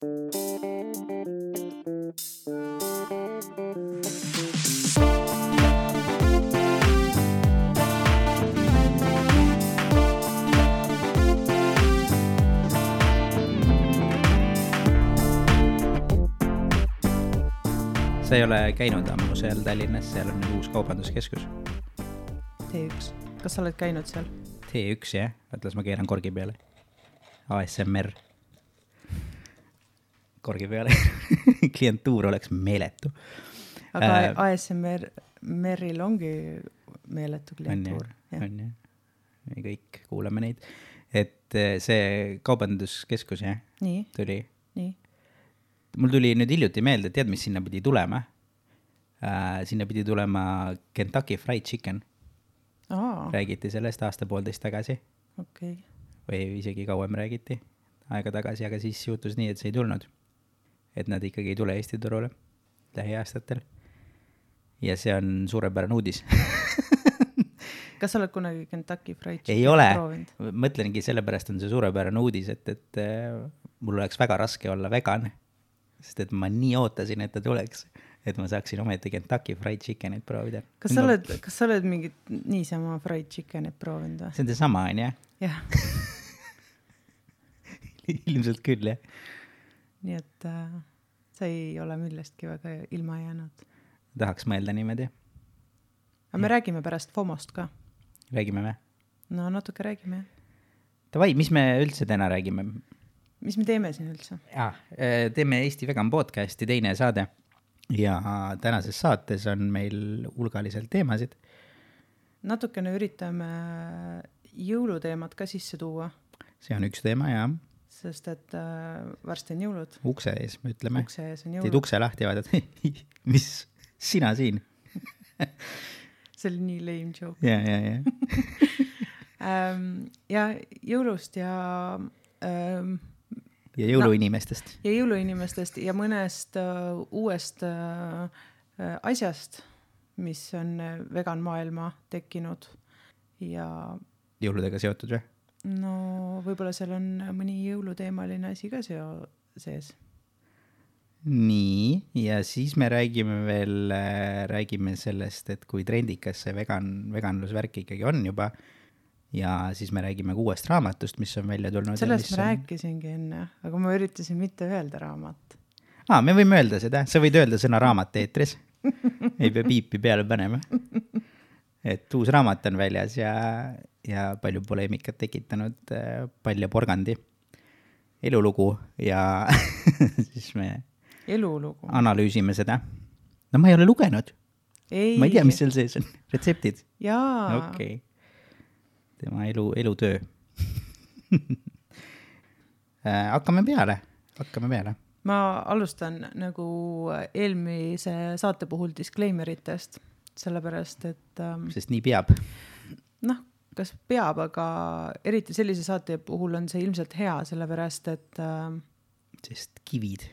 Sa ei ole käinud ammu seal Tallinnas, seal on uus kaubanduskeskus. T1. Kas sa oled käinud seal? T1, jah. Võtlas ma keeran korgi peale. ASMR. Korgi peale. Klientuur oleks meeletu. Aga ASMR-il ongi meeletu klientuur. On jah. Me kõik kuulame neid. Et see kaubanduskeskus, jah, Nii. tuli. Nii. Mul tuli nüüd hiljuti meelde, tead, mis sinna pidi tulema? Sinna pidi tulema Kentucky Fried Chicken. Räägiti sellest aasta-poolteist tagasi. Okay. Või isegi kauem räägiti aega tagasi, aga siis juhtus nii, et see ei tulnud. Et nad ikkagi ei tule Eesti turule lähiaastatel. Ja see on suurepärane uudis. Kas sa oled kunagi Kentucky Fried Chicken ei ole. proovinud? Mõtlengi, sellepärast on see suurepärane uudis, et mul oleks väga raske olla vegan. Sest et ma nii ootasin, et ta tuleks, et ma saaksin ometi Kentucky Fried Chickenit proovida. Kas sa oled mingit niisama Fried Chickenit proovinud? See on see sama, on jah? Jah. Ilmselt küll, jah. Nii et sa ei ole millestki väga ilma jäänud. Tahaks mõelda niimoodi. Aga me räägime pärast FOMOst ka. Räägime me? No natuke räägime. Tavai, mis me üldse täna räägime? Mis me teeme siin üldse? Teeme Eesti Vegan podcasti teine saade ja tänases saates on meil hulgaliselt teemasid. Natukene üritame jõuluteemat ka sisse tuua. See on üks teema, jah. Sest et varsti on jõulud. Ukse ees, me ütleme. Ukse ees on jõulud. Teed ukse lahti ja vaadad, mis sina siin? See oli nii lame joke. Ja. Ja jõulust ja jõuluinimestest. Ja jõuluinimestest ja mõnest uuest asjast, mis on vegan maailma tekkinud. Ja jõuludega seotud või? No võib-olla seal on mõni jõuluteemaline asi ka sees. Nii, ja siis me räägime sellest, et kui trendikas see veganlusvärk ikkagi on juba. Ja siis me räägime uuest raamatust, mis on välja tulnud. Sellest ma rääkisingi enne, aga ma üritasin mitte öelda raamat. Me võime öelda seda. Sa võid öelda sõna raamat eetris. Ei pea piipi peale panema. Et uus raamat on väljas ja palju poleemikat tekitanud, palju porgandi. Elulugu ja siis me analüüsime seda. No ma ei ole lugenud. Ma ei tea, mis seal sees on. Retseptid? Jaa. Okei. Tema elutöö. Hakkame peale. Ma alustan nagu eelmise saate puhul disclaimeritest, sellepärast, et sest nii peab. Noh, kas peab, aga eriti sellise saate puhul on see ilmselt hea, sellepärast, et sest kivid.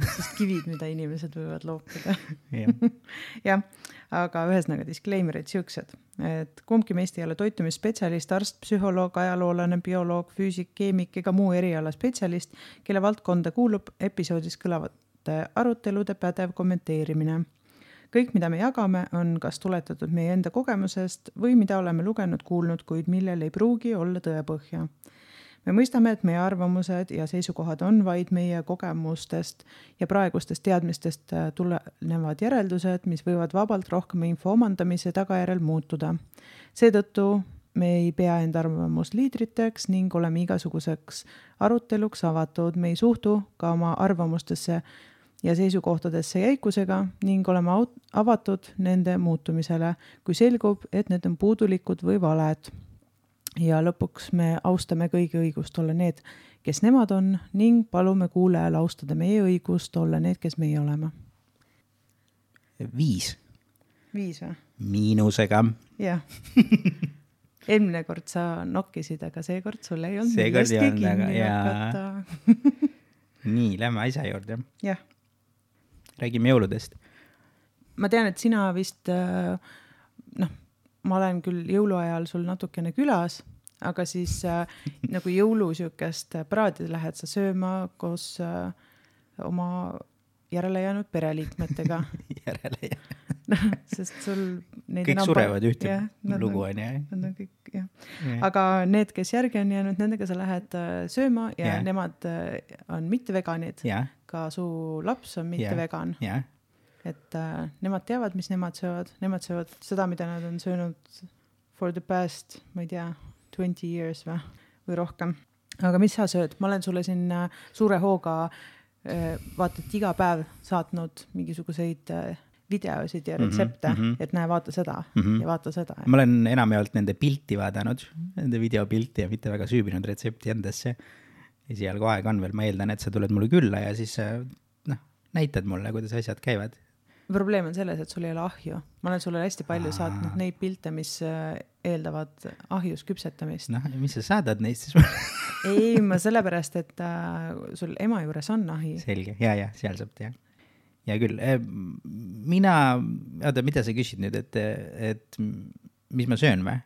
Sest kivid, mida inimesed võivad loopida. Jah, aga ühesõnaga disclaimerid siuksed, et kumbki meist ei ole toitumisspetsialist, arst, psühholoog, ajaloolane, bioloog, füüsik, keemik ega muu eriala spetsialist, kelle valdkonda kuulub episoodis kõlavate arutelude pädev kommenteerimine. Kõik, mida me jagame, on kas tuletatud meie enda kogemusest või mida oleme lugenud, kuulnud, kuid millel ei pruugi olla tõepõhja. Me mõistame, et meie arvamused ja seisukohad on vaid meie kogemustest ja praegustest teadmistest tulenevad järeldused, mis võivad vabalt rohkem info omandamise tagajärel muutuda. Seetõttu me ei pea enda arvamusliidriteks ning oleme igasuguseks aruteluks avatud. Me ei suhtu ka oma arvamustesse ja seisukohtadesse jäikusega ning oleme avatud nende muutumisele, kui selgub, et need on puudulikud või valed. Ja lõpuks me austame kõigi õigust olla need, kes nemad on ning palume kuulajal austada meie õigust olla need, kes meie oleme. 5. 5 või? Miinusega. Jah. Eelmine kord sa nokkisid, aga seekord sul ei olnud seekord millestki kinni hakata. Nii, lähme asja juurde. Jah. Räägime jõuludest. Ma tean, et sina vist, ma olen küll jõuluajal sul natukene külas, aga siis nagu jõulusiukest praadi lähed sa sööma koos oma järele jäänud pereliikmetega. Järele jäänud. Sest sul kõik surevad ühte lugu on jah. Nad on kõik, jah. Aga need, kes järgi on jäänud, nendega sa lähed sööma ja nemad on mitte veganid. Ka su laps on mitte vegan. Et nemad teavad, mis nemad söövad. Nemad söövad seda, mida nad on söönud for the past, ma ei tea, 20 years või rohkem. Aga mis sa sööd? Ma olen sulle siin suure hooga vaatad iga päev saatnud mingisuguseid videosid ja retsepte, et näe, vaata seda ja vaata seda. Ma olen enamjaolt nende pilti vaadanud, nende videopilti ja mitte väga süübinud retsepti endasse. Esialgu aeg on veel, ma eeldan, et sa tuled mulle külla ja siis näitad mulle, kuidas asjad käivad. Probleem on selles, et sul ei ole ahju. Ma olen sulle hästi palju saatnud neid pilte, mis eeldavad ahjus küpsetamist. Mis sa saadad neist siis? Ei, ma sellepärast, et sul ema juures on ahi. Selge, ja, seal saab teha. Ja küll, mida sa küsid nüüd, et mis ma söön või?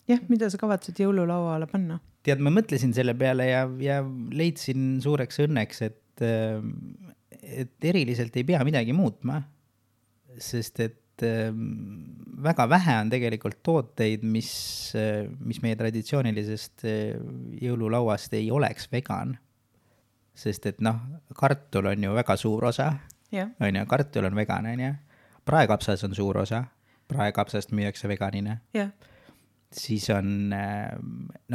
Jah, mida sa kavatsed jõululaua alla panna? Tead, ma mõtlesin selle peale ja leidsin suureks õnneks, et eriliselt ei pea midagi muutma, sest et väga vähe on tegelikult tooteid, mis meie traditsioonilisest jõululauast ei oleks vegan. Sest et kartul on ju väga suur osa. On ju, kartul on vegan, on ju. Praekapsas on suur osa. Praekapsast müüakse veganina. Siis on,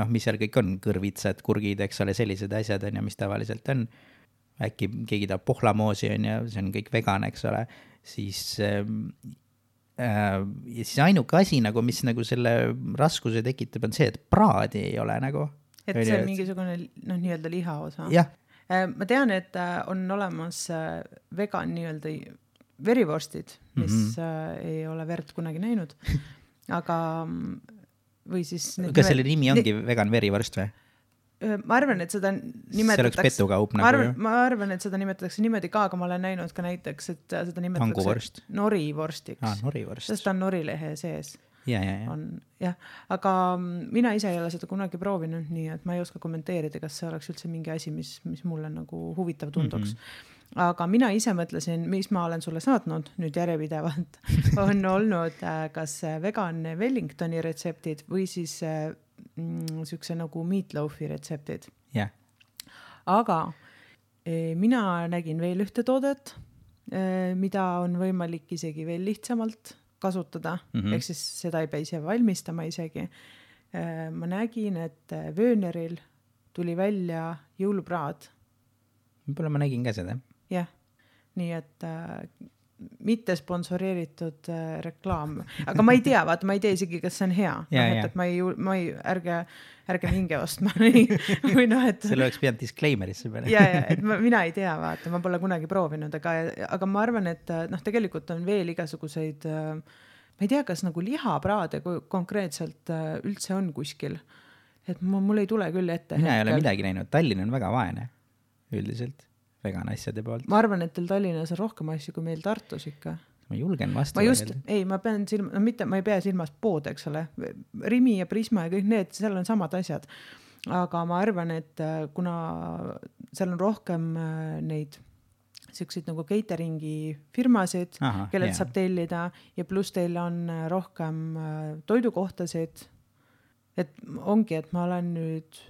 mis seal kõik on, kõrvitsad, kurgid, eks ole, sellised asjad on ja mis tavaliselt on. Äkki keegi tahab pohlamoosi on ja see on kõik vegan, eks ole. Siis ainuke asi, mis selle raskuse tekitab, on see, et praadi ei ole nagu. Et see on mingisugune nii-öelda lihaosa. Jah. Ma tean, et on olemas vegan nii-öelda verivorstid, mis ei ole verd kunagi näinud. Aga või siis... Kas selle nimi ongi vegan verivorst või? Ma arvan, et seda nimetatakse... See oleks pettukaup nagu ju. Ma arvan, et seda nimetatakse niimoodi ka, aga ma olen näinud ka näiteks, et seda nimetatakse norivorstiks. Norivorst. Sest ta on norilehe sees. Ja. Aga mina ise ei ole seda kunagi proovinud, nii et ma ei oska kommenteerida, kas see oleks üldse mingi asi, mis mulle nagu huvitav tunduks. Aga mina ise mõtlesin, mis ma olen sulle saatnud nüüd järjepidevalt, on olnud kas vegan Wellingtoni retseptid või siis sükse nagu meatloafi retseptid. Aga mina nägin veel ühte toodet, mida on võimalik isegi veel lihtsamalt kasutada, ehk siis seda ei pea ise valmistama isegi. Ma nägin, et Wöneril tuli välja jõulupraad. Võib-olla ma nägin ka seda. Jah, nii et mitte sponsoreeritud reklaam. Aga ma ei tea, vaata, ma ei tea isegi, kas see on hea. Et ma ei ärge minge ostma. Selle oleks pidanud disclaimerisse peale. Et mina ei tea, vaata, ma pole kunagi proovinud, aga ma arvan, et tegelikult on veel igasuguseid, ma ei tea, kas nagu lihapraade konkreetselt üldse on kuskil. Et mul ei tule küll ette. Mina ei ole midagi näinud. Tallinn on väga vaene üldiselt. Vegan asjade poolt. Ma arvan, et teil Tallinnas on rohkem asju kui meil Tartus ikka. Ma julgen vastu. Ma ei pea silmas pood, eks ole. Rimi ja Prisma ja kõik need, seal on samad asjad. Aga ma arvan, et kuna seal on rohkem neid selliseid nagu cateringi firmasid, kellelt saab tellida ja pluss teil on rohkem toidukohtasid, et ongi, et ma olen nüüd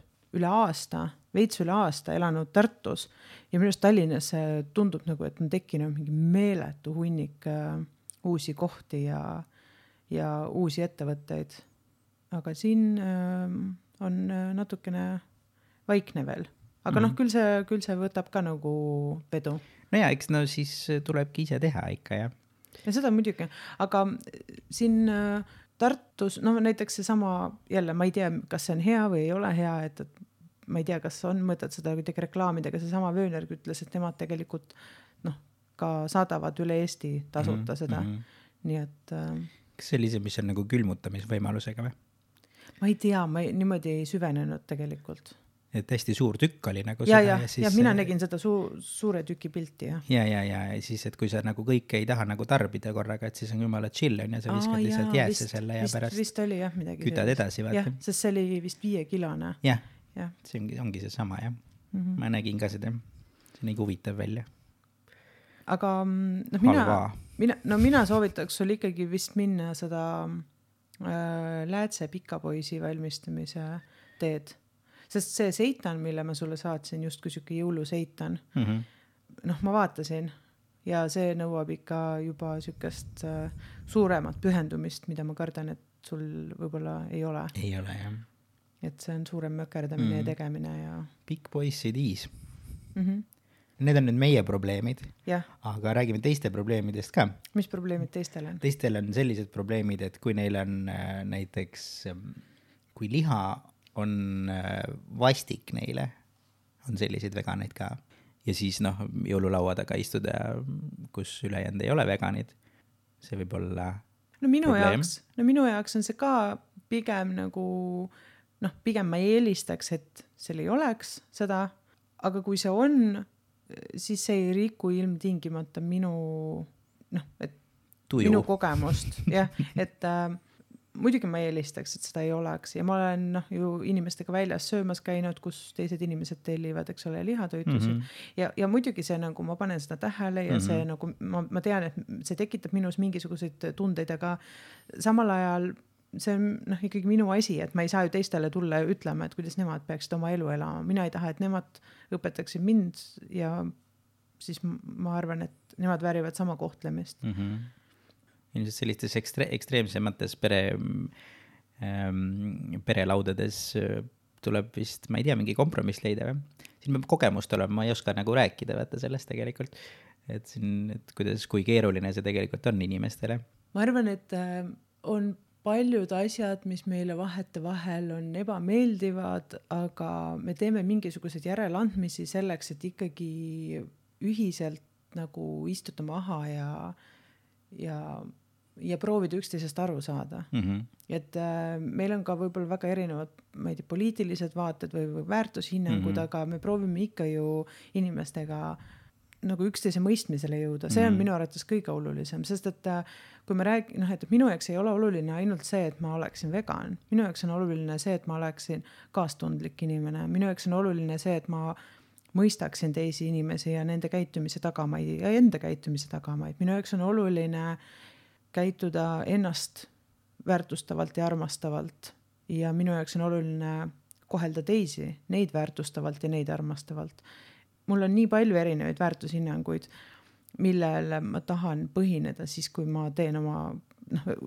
veits üle aasta elanud Tartus ja minu arust Tallinnas tundub nagu, et on tekkinud mingi meeletu hunnik uusi kohti ja uusi ettevõtteid. Aga siin on natukene vaikne veel. Aga küll see võtab ka nagu vedu. Eks siis tulebki ise teha ikka, jah. Ja seda muidugi. Aga siin Tartus, näiteks see sama, jälle ma ei tea, kas see on hea või ei ole hea, et ma ei tea, kas on mõtet seda kuidagi reklaamidega, see sama Wöner ütles, et nemad tegelikult ka saadavad üle Eesti tasuta seda. Nii et... Kas sellise, mis on nagu külmutamisvõimalusega või? Ma ei tea, ma niimoodi ei süvenenud tegelikult. et hästi suur tükk oli nagu ja mina nägin seda suure tüki pilti, jah. Ja siis, et kui sa nagu kõike ei taha nagu tarbida korraga, et siis on jumala chill on ja sa viskad lihtsalt jäässe selle ja pärast vist oli jah midagi kütad edasi, vaata. Jah, sest see oli vist 5-kilone. Jah, see ongi see sama, jah. Ma nägin ka seda. See on nii huvitav välja. Aga mina soovitaks sul ikkagi vist minna seda läätse pikapoisi valmistamise teed. Sest see seitan, mille ma sulle saatsin, justkui siuke jõuluseitan, ma vaatasin ja see nõuab ikka juba siukest suuremat pühendumist, mida ma kardan, et sul võib-olla ei ole. Ei ole, jah. Et see on suurem mökerdamine ja tegemine ja... Big Boys CDs. Need on nüüd meie probleemid, aga räägime teiste probleemidest ka. Mis probleemid teistel on? Teistel on sellised probleemid, et kui neil on näiteks, kui liha on vastik neile, on selliseid veganeid ka. Ja siis jõululaua taga istuda, kus ülejäänud ei ole veganid. See võib olla minu jaoks on see ka pigem nagu, pigem ma eelistaks, et seal ei oleks seda, aga kui see on, siis see ei riku ilmtingimata minu kogemust. Jah, et muidugi ma eelistaks, et seda ei oleks ja ma olen ju inimestega väljas söömas käinud, kus teised inimesed tellivad, eks ole, lihatoitusid ja muidugi see nagu ma panen seda tähele ja see nagu ma tean, et see tekitab minus mingisuguseid tundeid, aga samal ajal see on ikkagi minu asi, et ma ei saa ju teistele tulla ja ütlema, et kuidas nemad peaksid oma elu elama. Mina ei taha, et nemad õpetaksid mind ja siis ma arvan, et nemad väärivad sama kohtlemist. Ilmselt sellistes ekstreemsemates perelaudades tuleb vist, ma ei tea, mingi kompromiss leida või? Siin peab kogemust olema, ma ei oska nagu rääkida vaata sellest tegelikult, et kui keeruline see tegelikult on inimestele. Ma arvan, et on paljud asjad, mis meile vahel on ebameeldivad, aga me teeme mingisugused järeleandmisi selleks, et ikkagi ühiselt nagu istuda maha ja proovida üksteisest aru saada. Et meil on ka võib-olla väga erinevad, ma ei tea, poliitilised vaated või väärtushinnangud, aga me proovime ikka ju inimestega nagu üksteise mõistmisele jõuda. See on minu arvates kõige olulisem, sest et kui me räägime, et minu jaoks ei ole oluline ainult see, et ma oleksin vegan. Minu jaoks on oluline see, et ma oleksin kaastundlik inimene. Minu jaoks on oluline see, et ma mõistaksin teisi inimesi ja nende käitumise tagamaid ja enda käitumise tagamaid. Minu jaoks on oluline käituda ennast väärtustavalt ja armastavalt ja minu jaoks on oluline kohelda teisi, neid väärtustavalt ja neid armastavalt. Mul on nii palju erinevaid väärtushinnanguid, millele ma tahan põhineda siis, kui ma teen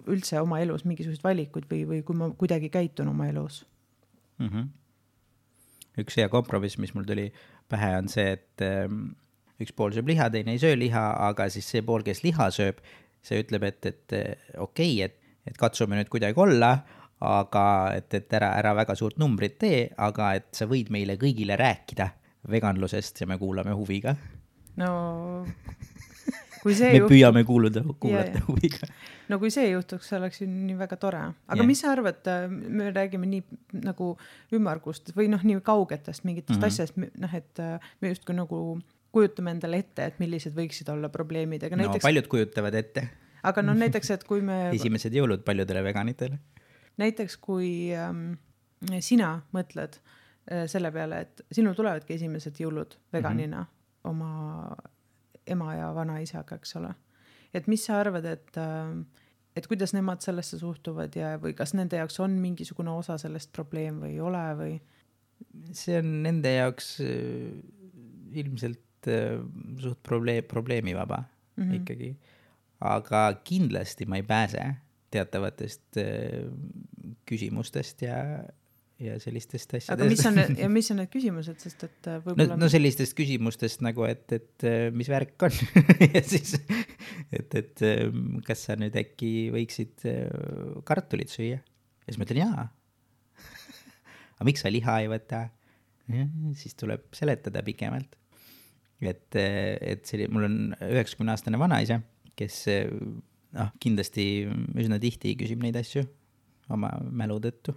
üldse oma elus mingisugused valikud või kui ma kuidagi käitun oma elus. Üks hea kompromiss, mis mul tuli pähe, on see, et üks pool sööb liha, teine ei söö liha, aga siis see pool, kes liha sööb, see ütleb, et okei, et katsume nüüd kuidagi olla, aga et ära väga suurt numbrit tee, aga et sa võid meile kõigile rääkida veganlusest ja me kuulame huviga. No, kui see püüame kuulata huviga. No kui see juhtuks, see oleks ju nii väga tore. Aga mis sa arvad, me räägime nii nagu ümmargust või nii kaugetest mingitest asjast, et me justkui nagu kujutame endale ette, et millised võiksid olla probleemid. Aga näiteks, paljud kujutavad ette. Aga näiteks, et kui me... Esimesed jõulud paljudele veganitele. Näiteks, kui sina mõtled selle peale, et sinul tulevadki esimesed jõulud veganina oma ema ja vanaisaga, eks ole. Et mis sa arvad, et kuidas nemad sellesse suhtuvad või kas nende jaoks on mingisugune osa sellest probleem või ei ole või? See on nende jaoks ilmselt suht probleemivaba ikkagi. Aga kindlasti ma ei pääse teatavatest küsimustest ja sellistest asjadest. Aga mis on need küsimused, sest et võib-olla... No sellistest küsimustest nagu, et mis värk on ja siis, et kas sa nüüd äkki võiksid kartulit süüa? Ja siis ma ütlen jaa. Aga miks sa liha ei võta? Ja, siis tuleb seletada pikemalt. Et mul on 90-aastane vanaisa, kes kindlasti üsna tihti küsib neid asju oma mälu tõttu.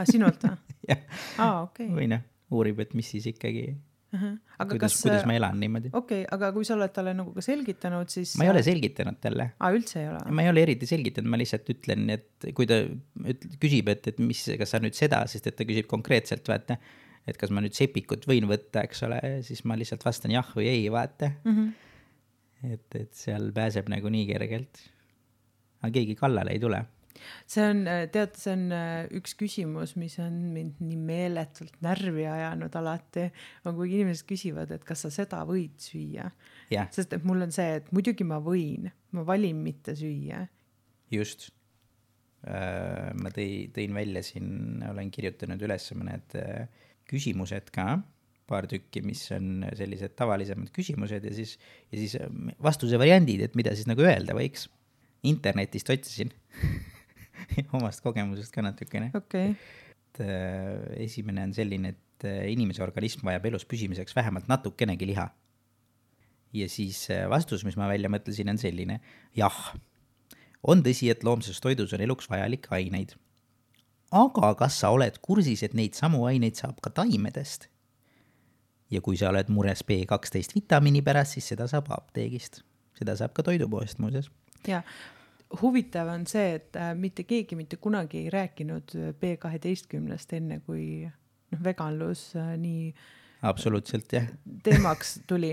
Sinult või? Jah. Okay. Või uurib, et mis siis ikkagi, aga kuidas ma elan niimoodi. Okei, aga kui sa oled talle nagu ka selgitanud, siis... Ma ei ole selgitanud talle. Üldse ei ole? Ma ei ole eriti selgitanud, ma lihtsalt ütlen, et kui ta küsib, et kas sa nüüd seda, sest et ta küsib konkreetselt, vaata, et kas ma nüüd sepikut võin võtta, eks ole, siis ma lihtsalt vastan jah või ei, vaata. Et seal pääseb nagu nii kergelt. Aga keegi kallale ei tule. See on üks küsimus, mis on mind nii meeletult närvi ajanud alati, on kui inimesed küsivad, et kas sa seda võid süüa. Sest et mul on see, et muidugi ma võin, ma valin mitte süüa. Just. Ma tõin välja siin, olen kirjutanud üles mõned küsimused ka, paar tükki, mis on sellised tavalisemad küsimused ja siis vastuse variandid, et mida siis nagu öelda võiks. Internetist otsisin. Omast kogemusest ka natukene. Okay. Esimene on selline, et inimese organism vajab elus püsimiseks vähemalt natukenegi liha. Ja siis vastus, mis ma välja mõtlesin, on selline. Jah, on tõsi, et loomses toidus on eluks vajalik aineid. Aga kas sa oled kursis, et neid samu aineid saab ka taimedest? Ja kui sa oled mures B12 vitamiini pärast, siis seda saab apteegist. Seda saab ka toidupoest muuseas. Ja huvitav on see, et mitte keegi mitte kunagi ei rääkinud B12 enne, kui veganlus nii absoluutselt, jah. Teemaks tuli.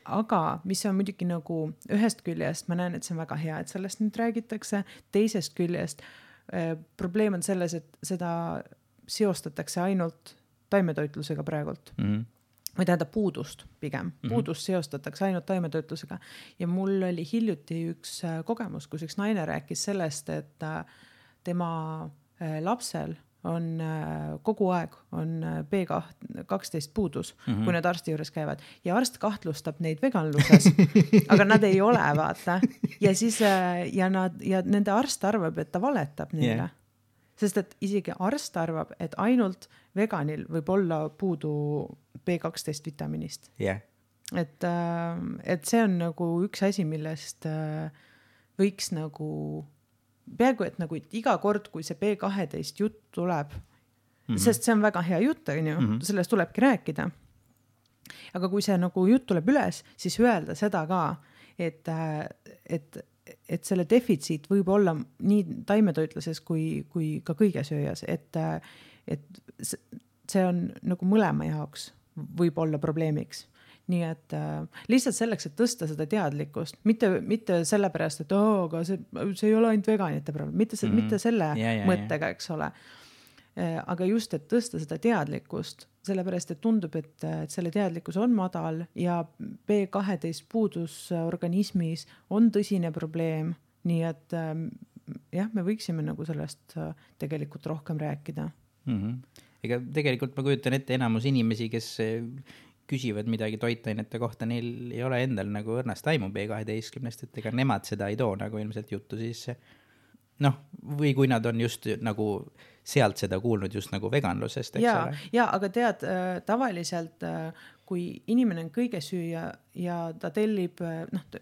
Aga mis on muidugi nagu ühest küljest, ma näen, et see on väga hea, et sellest nüüd räägitakse, teisest küljest probleem on selles, et seda seostatakse ainult taimetoitlusega praegult. Või tähendab puudust pigem. Puudust seostatakse ainult taimetoitlusega. Ja mul oli hiljuti üks kogemus, kus üks naine rääkis sellest, et tema lapsel on kogu aeg on B12 puudus, kui need arsti juures käivad. Ja arst kahtlustab neid veganluses, aga nad ei ole, vaata. Ja siis ja nende arst arvab, et ta valetab neile. Yeah. Sest et isegi arst arvab, et ainult veganil võib olla puudu B12 vitamiinist. Yeah. Et see on nagu üks asi, millest võiks nagu, peaaegu et nagu iga kord, kui see B12 jutt tuleb, sest see on väga hea jutt, sellest tulebki rääkida. Aga kui see nagu jutt tuleb üles, siis öelda seda ka, et selle defitsiit võib olla nii taimetoitluses kui ka kõigesööjas, et see on nagu mõlema jaoks võib olla probleemiks. Nii et lihtsalt selleks, et tõsta seda teadlikkust, mitte sellepärast, et aga see ei ole ainult veganite probleem, mitte selle mõttega, eks ole. Aga just, et tõsta seda teadlikkust, sellepärast, et tundub, et selle teadlikkus on madal ja B12 puudus organismis on tõsine probleem, nii et jah, me võiksime nagu sellest tegelikult rohkem rääkida. Ega tegelikult ma kujutan ette enamus inimesi, kes küsivad midagi toitainete kohta, neil ei ole endal nagu õrnast aimu B12, et ega nemad seda ei too nagu ilmselt juttu sisse. Või kui nad on just nagu sealt seda kuulnud just nagu veganlusest, eks ole? Ja, aga tead, tavaliselt, kui inimene on kõigesüüja ja ta tellib,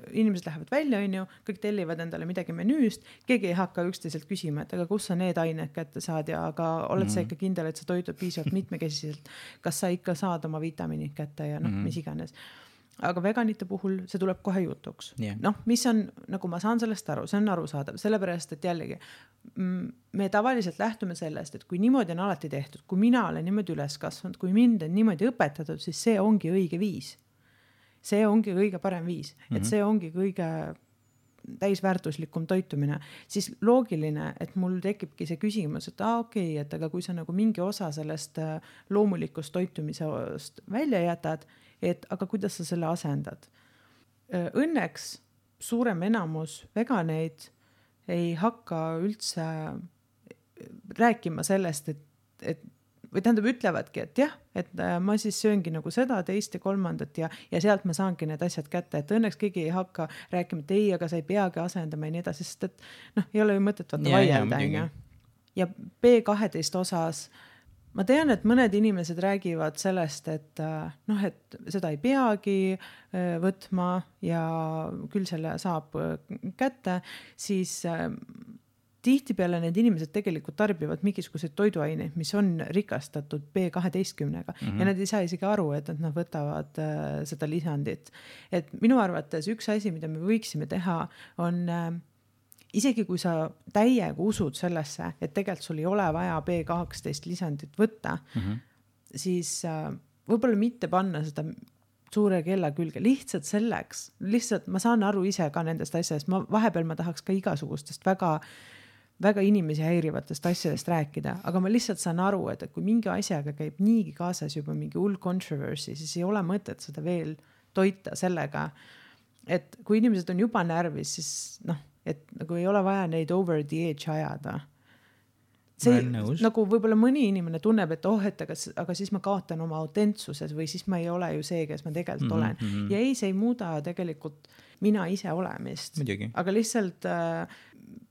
inimesed lähevad välja, kõik tellivad endale midagi menüüst, keegi ei hakka üksteiselt küsima, et aga kus sa need ained kätte saad ja aga oled sa ikka kindel, et sa toitud piisavalt mitmekesiselt, kas sa ikka saad oma vitamiinid kätte ja mis iganes. Aga veganite puhul see tuleb kohe jutuks. Yeah. Mis on, nagu ma saan sellest aru, see on arusaadav, sellepärast, et jällegi me tavaliselt lähtume sellest, et kui niimoodi on alati tehtud, kui mina olen niimoodi üles kasvanud, kui mind on niimoodi õpetatud, siis see ongi õige viis. See ongi kõige parem viis, et see ongi kõige täisväärtuslikum toitumine. Siis loogiline, et mul tekibki see küsimus, et okei, et aga kui sa nagu mingi osa sellest loomulikust toitumisest välja jätad, et aga kuidas sa selle asendad? Õnneks suurem enamus veganeid ei hakka üldse rääkima sellest, või tähendab ütlevadki, et jah, et ma siis sööngi nagu seda, teist ja kolmandat ja sealt ma saangi need asjad kätte, et õnneks keegi ei hakka rääkima, et ei, aga sa ei peagi asendama ja nii edasi, sest et ei ole ju mõtet vaata vaielda. Ja B12 osas ma tean, et mõned inimesed räägivad sellest, et seda ei peagi võtma ja küll selle saab kätte, siis tihtipeale need inimesed tegelikult tarbivad mingisuguseid toiduaineid, mis on rikastatud B12-ga ja nad ei saa isegi aru, et nad võtavad seda lisandit. Et minu arvates üks asi, mida me võiksime teha, on isegi kui sa täiega usud sellesse, et tegelikult sul ei ole vaja B12 lisandit võtta, siis võib-olla mitte panna seda suure kella külge, lihtsalt selleks, lihtsalt ma saan aru ise ka nendest asjadest, vahepeal ma tahaks ka igasugustest väga inimesi häirivatest asjadest rääkida, aga ma lihtsalt saan aru, et kui mingi asjaga käib niigi kaasas juba mingi hull controversy, siis ei ole mõtet seda veel toita sellega, et kui inimesed on juba närvis, siis et nagu ei ole vaja neid over the edge ajada. See nagu võib-olla mõni inimene tunneb, et aga siis ma kaotan oma autentsuses või siis ma ei ole ju see, kes ma tegelikult olen. Ja ei, see ei muuda tegelikult mina ise olemist. Midagi. Aga lihtsalt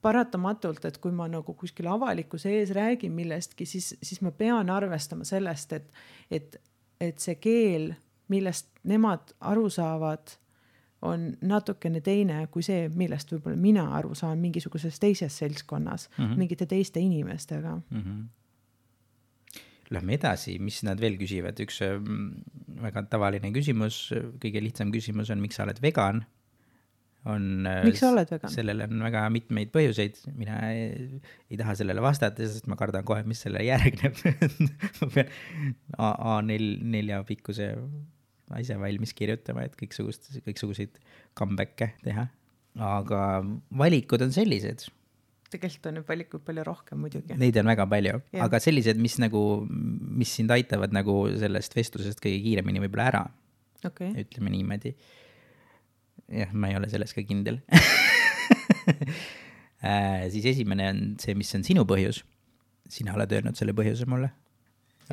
paratamatult, et kui ma nagu kuskil avalikkuse ees räägin millestki, siis ma pean arvestama sellest, et see keel, millest nemad aru saavad, on natukene teine kui see, millest võib-olla mina aru saan mingisuguses teises seltskonnas, mingite teiste inimestega. Lähme edasi, mis nad veel küsivad. Üks väga tavaline küsimus, kõige lihtsam küsimus on, miks sa oled vegan? Miks sa oled vegan? Sellele on väga mitmeid põhjuseid. Mina ei taha sellele vastata, sest ma kardan kohe, mis selle järgneb. Ma pean A4 pikkuse asja valmis kirjutama, et kõiksuguseid comeback'e teha. Aga valikud on sellised. Tegelikult on valikud palju rohkem muidugi. Neid on väga palju, aga sellised, mis sind aitavad nagu sellest vestlusest kõige kiiremini võib-olla ära. Okay. Ütleme niimoodi. Jah, ma ei ole selles ka kindel. Siis esimene on see, mis on sinu põhjus. Sina oled öelnud selle põhjuse mulle.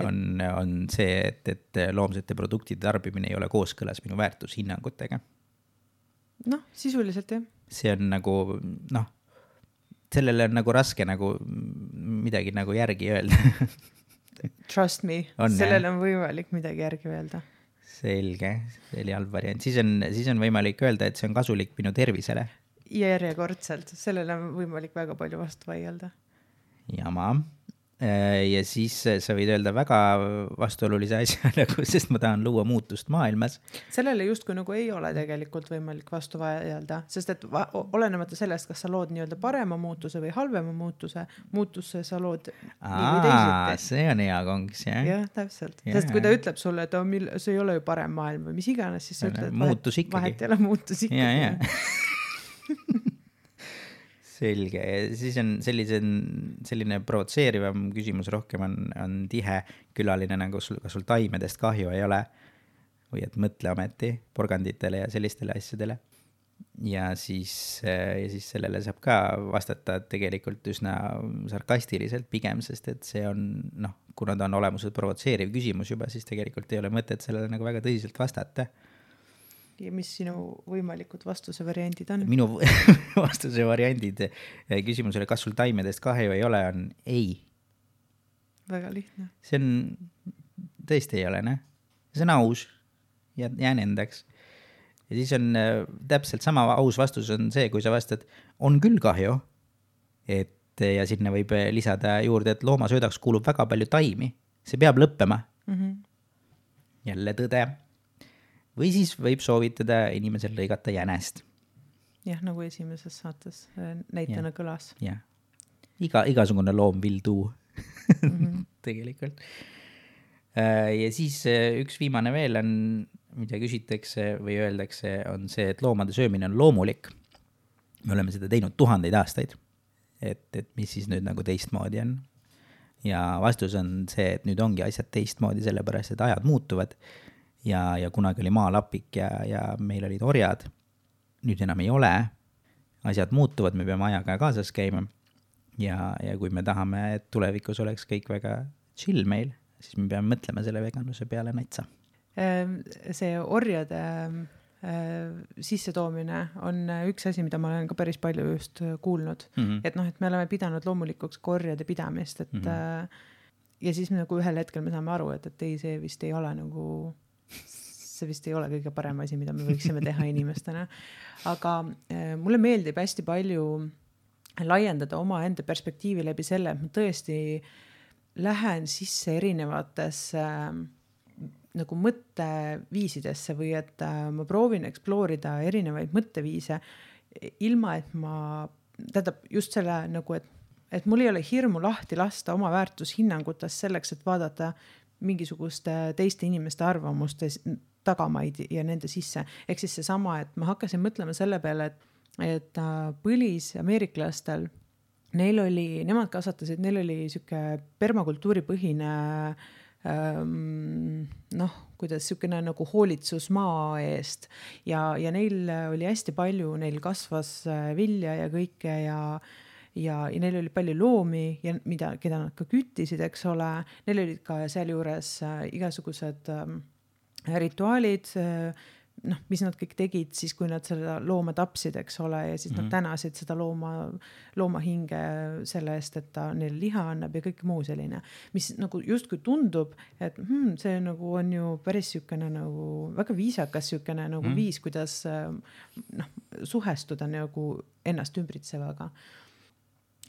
On see, et loomsete produktide tarbimine ei ole kooskõlas minu väärtushinnangutega. Sisuliselt jah. See on nagu, sellele on nagu raske nagu midagi nagu järgi öelda. Trust me, sellele on võimalik midagi järgi öelda. Selge, see oli halb variant. Siis on võimalik öelda, et see on kasulik minu tervisele. Ja järjekordselt, sellele on võimalik väga palju vastu vaielda. Jama. Ja siis sa võid öelda väga vastuolulise asja, sest ma tahan luua muutust maailmas. Sellele justkui nagu ei ole tegelikult võimalik vastu vaielda, sest et olenemata sellest, kas sa lood nii-öelda parema muutuse või halvema muutusse sa lood nii või teisiti. See on hea kongs, jah? Jah, täpselt. Sest kui ta ütleb sulle, et see ei ole ju parem maailm või mis iganes, siis sa ütled, et vahet ei ole muutus ikkagi. Selge. Siis on selline provotseerivam küsimus rohkem on tihe külaline, nagu kas sul taimedest kahju ei ole või et mõtle ometi porganditele ja sellistele asjadele. Ja siis sellele saab ka vastata tegelikult üsna sarkastiliselt pigem, sest et see on, kuna ta on olemuselt provotseeriv küsimus juba, siis tegelikult ei ole mõtet sellele nagu väga tõsiselt vastata. Ja mis sinu võimalikud vastuse variandid on? Minu vastuse variandid küsimusele, kas sul taimedest kahju ei ole, on ei. Väga lihtne. See on, tõesti ei ole, See on aus ja jään endaks. Ja siis on täpselt sama aus vastus on see, kui sa vastad, on küll kahju, ja sinna võib lisada juurde, et loomasöödaks kuulub väga palju taimi. See peab lõppema. Jälle tõde. Või siis võib soovitada inimesel lõigata jänest. Jah, nagu esimeses saates näitena kõlas. Jah. Igasugune loom will do. Tegelikult. Ja siis üks viimane veel on, mida küsitakse või öeldakse, on see, et loomade söömine on loomulik. Me oleme seda teinud 1000 aastaid. Et mis siis nüüd nagu teistmoodi on. Ja vastus on see, et nüüd ongi asjad teistmoodi, sellepärast, et ajad muutuvad. Ja kunagi oli maalapik ja meil olid orjad. Nüüd enam ei ole. Asjad muutuvad, me peame ajaga kaasas käima. Ja kui me tahame, et tulevikus oleks kõik väga chill meil, siis me peame mõtlema selle veganluse peale natsa. See orjade sissetoomine on üks asi, mida ma olen ka päris palju just kuulnud. Et et me oleme pidanud loomulikuks orjade pidamist. Ja siis nagu ühel hetkel me saame aru, et ei, see vist ei ole nagu... See vist ei ole kõige parem asi, mida me võiksime teha inimestena. Aga mulle meeldib hästi palju laiendada oma enda perspektiivi läbi selle, et ma tõesti lähen sisse erinevatesse nagu mõtteviisidesse või et ma proovin eksploorida erinevaid mõtteviise ilma, et ma tähendab just selle nagu, et mul ei ole hirmu lahti lasta oma väärtushinnangutest selleks, et vaadata mingisuguste teiste inimeste arvamuste tagamaid ja nende sisse. Ehk siis seesama, et ma hakkasin mõtlema selle peale, et põlis-ameeriklastel, nemad kasvatasid, neil oli siuke permakultuuripõhine kuidas siukene nagu hoolitsus maa eest ja neil oli hästi palju, neil kasvas vilja ja kõike ja neil oli palju loomi ja keda nad ka küttisid, eks ole, neil olid ka seal juures igasugused rituaalid, mis nad kõik tegid siis, kui nad seda looma tapsid, eks ole, ja siis nad tänasid seda looma hinge selle eest, et ta neil liha annab ja kõik muu selline, mis nagu justkui tundub, et see nagu on ju päris siukene nagu väga viisakas siukene nagu viis, kuidas suhestuda nagu ennast ümbritsevaga.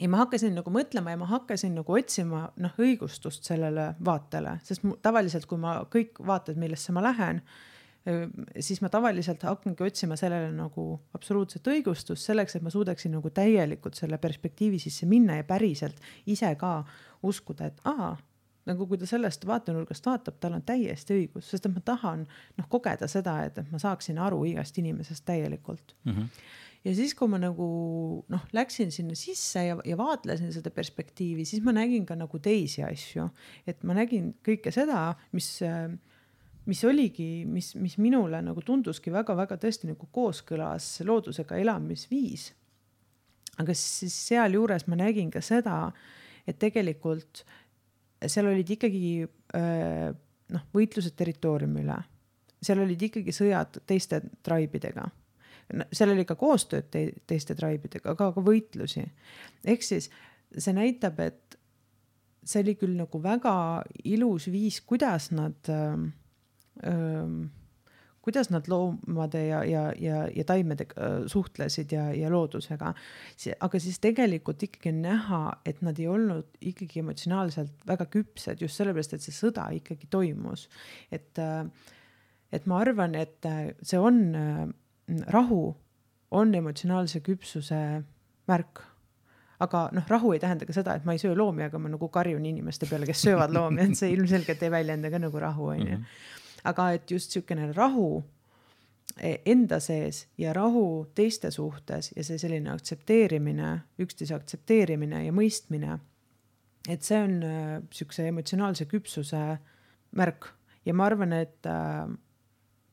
Ja ma hakkasin nagu mõtlema ja ma hakkasin nagu otsima õigustust sellele vaatele, sest tavaliselt, kui ma kõik vaated, millesse ma lähen, siis ma tavaliselt hakkangi otsima sellele nagu absoluutset õigustust selleks, et ma suudaksin nagu täielikult selle perspektiivi sisse minna ja päriselt ise ka uskuda, et nagu kui ta sellest vaatenurgast vaatab, tal on täiesti õigus, sest et ma tahan kogeda seda, et ma saaksin aru igast inimesest täielikult. Ja siis, kui ma nagu läksin sinna sisse ja vaatlesin seda perspektiivi, siis ma nägin ka nagu teisi asju, et ma nägin kõike seda, mis oligi, mis minule nagu tunduski väga-väga tõesti nagu kooskõlas loodusega elamisviis. Aga siis seal juures ma nägin ka seda, et tegelikult seal olid ikkagi võitlused territooriumile. Seal olid ikkagi sõjad teiste traibidega. Seal oli ka koostööd teiste traibidega, aga ka võitlusi. Ehk siis see näitab, et see oli küll nagu väga ilus viis, kuidas nad loomade ja taimedega suhtlesid ja loodusega. Aga siis tegelikult ikkagi näha, et nad ei olnud ikkagi emotsionaalselt väga küpsed just sellepärast, et see sõda ikkagi toimus. Et ma arvan, et see on rahu on emotsionaalse küpsuse märk. Aga rahu ei tähenda ka seda, et ma ei söö loomi, aga ma nagu karjun inimeste peale, kes söövad loomi, et see ilmselgelt ei väljenda ka nagu rahu. Aga et just siukene rahu enda sees ja rahu teiste suhtes ja see selline aktsepteerimine, üksteise aktsepteerimine ja mõistmine, et see on siukse emotsionaalse küpsuse märk. Ja ma arvan, et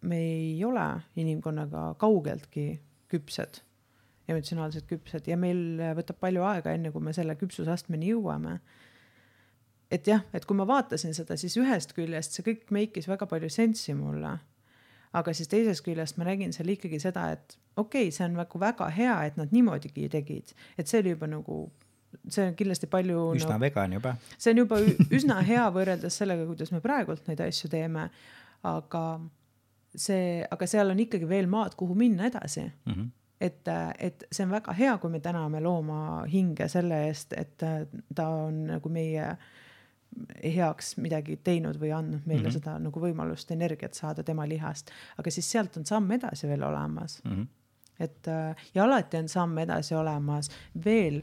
me ei ole inimkonnaga kaugeltki küpsed, emotsionaalselt küpsed ja meil võtab palju aega enne, kui me selle küpsusastmeni jõuame. Et jah, et kui ma vaatasin seda, siis ühest küljest see kõik meikis väga palju sensi mulle, aga siis teisest küljest ma nägin seal ikkagi seda, et okei, see on väga hea, et nad niimoodigi tegid, et see oli juba nagu, see on kindlasti palju üsna vegan juba. See on juba üsna hea võrreldes sellega, kuidas me praegult neid asju teeme, aga seal on ikkagi veel maad, kuhu minna edasi. Et see on väga hea, kui me täname looma hinge selle eest, et ta on nagu meie heaks midagi teinud või andnud meile seda nagu võimalust energiat saada tema lihast, aga siis sealt on samm edasi veel olemas. Et, ja alati on samm edasi olemas veel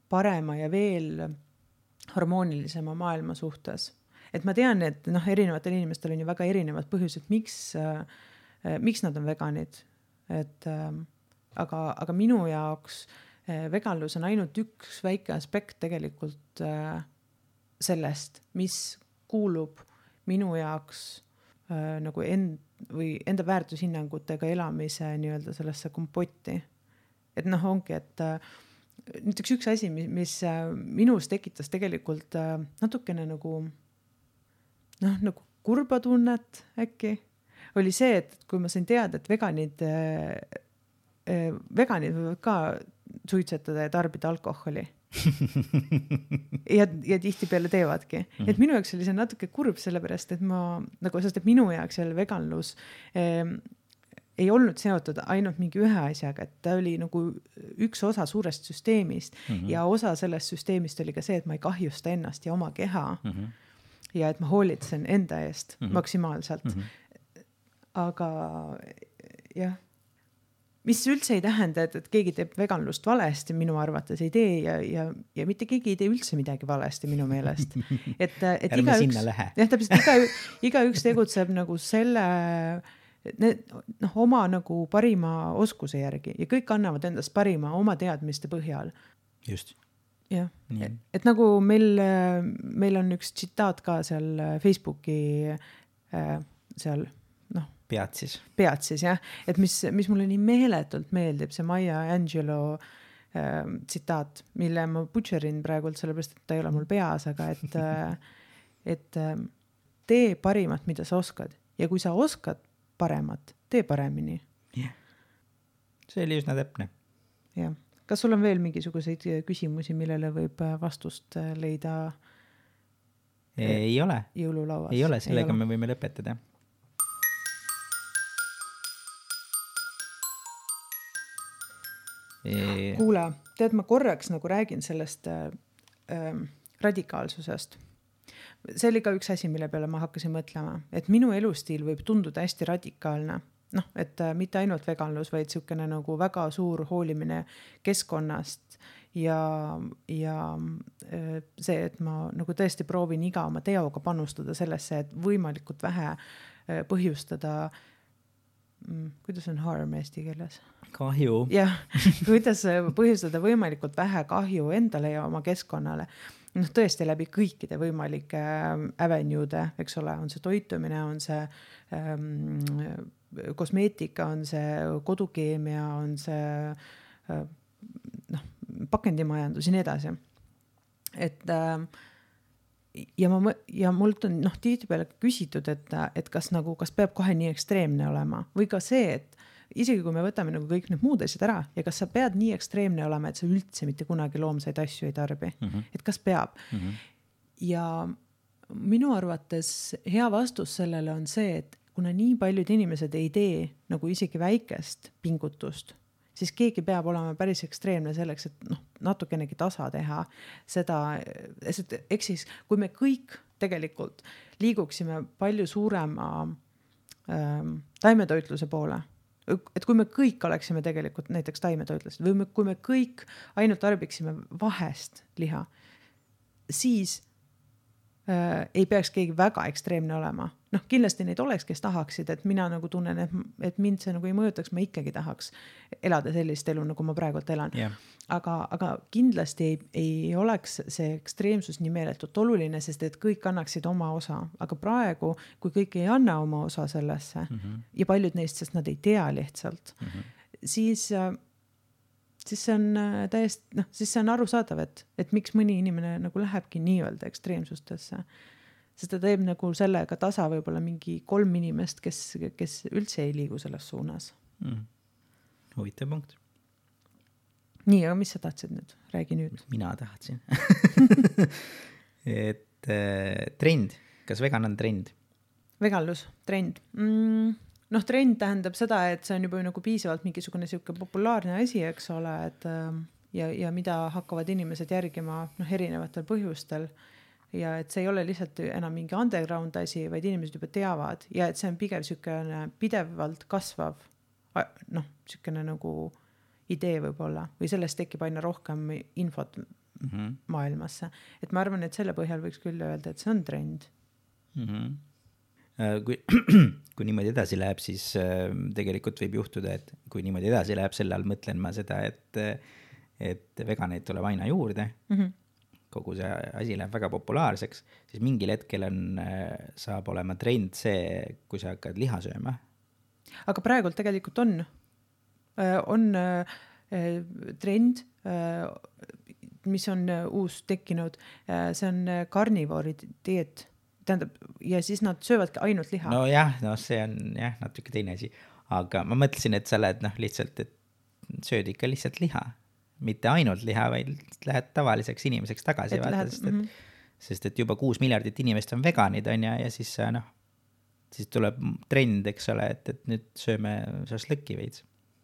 parema ja veel harmoonilisema maailma suhtes. Et ma tean, et erinevatel inimestel on ju väga erinevad põhjused, miks nad on veganid. Et, aga minu jaoks veganlus on ainult üks väike aspekt tegelikult sellest, mis kuulub minu jaoks nagu enda väärtushinnangutega elamise nii-öelda sellesse kompotti. Et ongi, et näiteks üks asi, mis minus tekitas tegelikult natukene nagu kurba tunnet äkki, oli see, et kui ma sain teada, et veganid võivad ka suitsetada ja tarbida alkoholi. ja tihti peale teevadki. Et minu jaoks oli see natuke kurb sellepärast, et sest et minu jaoks jälle veganlus ei olnud seotud ainult mingi ühe asjaga, et ta oli nagu üks osa suurest süsteemist ja osa sellest süsteemist oli ka see, et ma ei kahjusta ennast ja oma keha ja et ma hoolitsen enda eest maksimaalselt. Aga jah, mis üldse ei tähenda, et keegi teeb veganlust valesti, minu arvates ei tee ja mitte keegi ei tee üldse midagi valesti minu meelest. Et igaüks tegutseb nagu selle oma nagu parima oskuse järgi ja kõik annavad endast parima oma teadmiste põhjal. Just. Jah, et nagu meil on üks tsitaat ka seal Facebooki seal Peatsis, jah, et mis mulle nii meeletult meeldib, see Maya Angelou tsitaat, mille ma butcherin praegult, sellepärast, et ta ei ole mul peas, aga et tee parimat, mida sa oskad ja kui sa oskad paremat, tee paremini. Yeah. See oli üsna täpne. Jah. Kas sul on veel mingisuguseid küsimusi, millele võib vastust leida? Ei ole. Jõululauas? Ei ole, sellega me võime lõpetada. Kuule, tead, ma korraks nagu räägin sellest radikaalsusest. See oli ka üks asi, mille peale ma hakkasin mõtlema, et minu elustiil võib tunduda hästi radikaalne. Et mitte ainult veganlus, vaid siukene nagu väga suur hoolimine keskkonnast ja see, et ma nagu tõesti proovin iga oma teoga panustada sellesse, et võimalikult vähe põhjustada, kuidas on harm eesti keeles? Kahju. Jah, kuidas põhjustada võimalikult vähe kahju endale ja oma keskkonnale. Tõesti läbi kõikide võimalike avenue'de, eks ole, on see toitumine, on see kosmeetika, on see kodukeemia, on see pakendimajandus ja nii edasi. Et ja mult on tihtipeale küsitud, et kas peab kohe nii ekstreemne olema või ka see, et isegi kui me võtame nagu kõik need muud asjad ära ja kas sa pead nii ekstreemne olema, et sa üldse mitte kunagi loomsaid asju ei tarbi, et kas peab. Ja minu arvates hea vastus sellele on see, et kuna nii paljud inimesed ei tee nagu isegi väikest pingutust, siis keegi peab olema päris ekstreemne selleks, et natukenegi tasa teha seda, eks siis, kui me kõik tegelikult liiguksime palju suurema taimetoitluse poole, et kui me kõik oleksime tegelikult näiteks taimetoitlused või kui me kõik ainult tarbiksime vahest liha, siis ei peaks keegi väga ekstreemne olema. Kindlasti neid oleks, kes tahaksid, et mina nagu tunnen, et mind see nagu ei mõjutaks, ma ikkagi tahaks elada sellist elu, nagu ma praegult elan. Yeah. Aga kindlasti ei oleks see ekstreemsus nii meeletult oluline, sest et kõik annaksid oma osa. Aga praegu, kui kõik ei anna oma osa sellesse ja paljud neist, sest nad ei tea lihtsalt, siis see on täiesti, siis see on arusaadav, et miks mõni inimene nagu lähebki nii-öelda ekstreemsustesse. Sest ta teeb nagu sellega tasa võib-olla mingi 3 inimest, kes üldse ei liigu selles suunas. Huvitav punkt. Nii, aga mis sa tahtsid nüüd? Räägi nüüd. Mina tahtsin. Et trend. Kas vegan on trend? Veganlus, trend. Trend tähendab seda, et see on juba nagu piisavalt mingisugune siuke populaarne asi, eks ole, et ja mida hakkavad inimesed järgima erinevatel põhjustel ja et see ei ole lihtsalt enam mingi underground asi, vaid inimesed juba teavad ja et see on pigem siukene pidevalt kasvav siukene nagu idee võib-olla või sellest tekib aina rohkem infot maailmasse. Et ma arvan, et selle põhjal võiks küll öelda, et see on trend. Kui niimoodi edasi läheb, siis tegelikult võib juhtuda, et kui niimoodi edasi läheb, selle all mõtlen ma seda, et veganeid tuleb aina juurde, kogu see asi läheb väga populaarseks, siis mingil hetkel saab olema trend see, kui sa hakkad liha sööma. Aga praegult tegelikult on trend, mis on uus tekkinud, see on karnivoori dieet. Tähendab, ja siis nad söövadki ainult liha. No jah, see on natuke teine asi. Aga ma mõtlesin, et sa lähed lihtsalt, et sööd ikka lihtsalt liha. Mitte ainult liha, vaid lähed tavaliseks inimeseks tagasi. Sest et juba 6 miljardit inimest on veganid, on ja siis sa siis tuleb trend, eks ole, et nüüd sööme šašlõkki veits.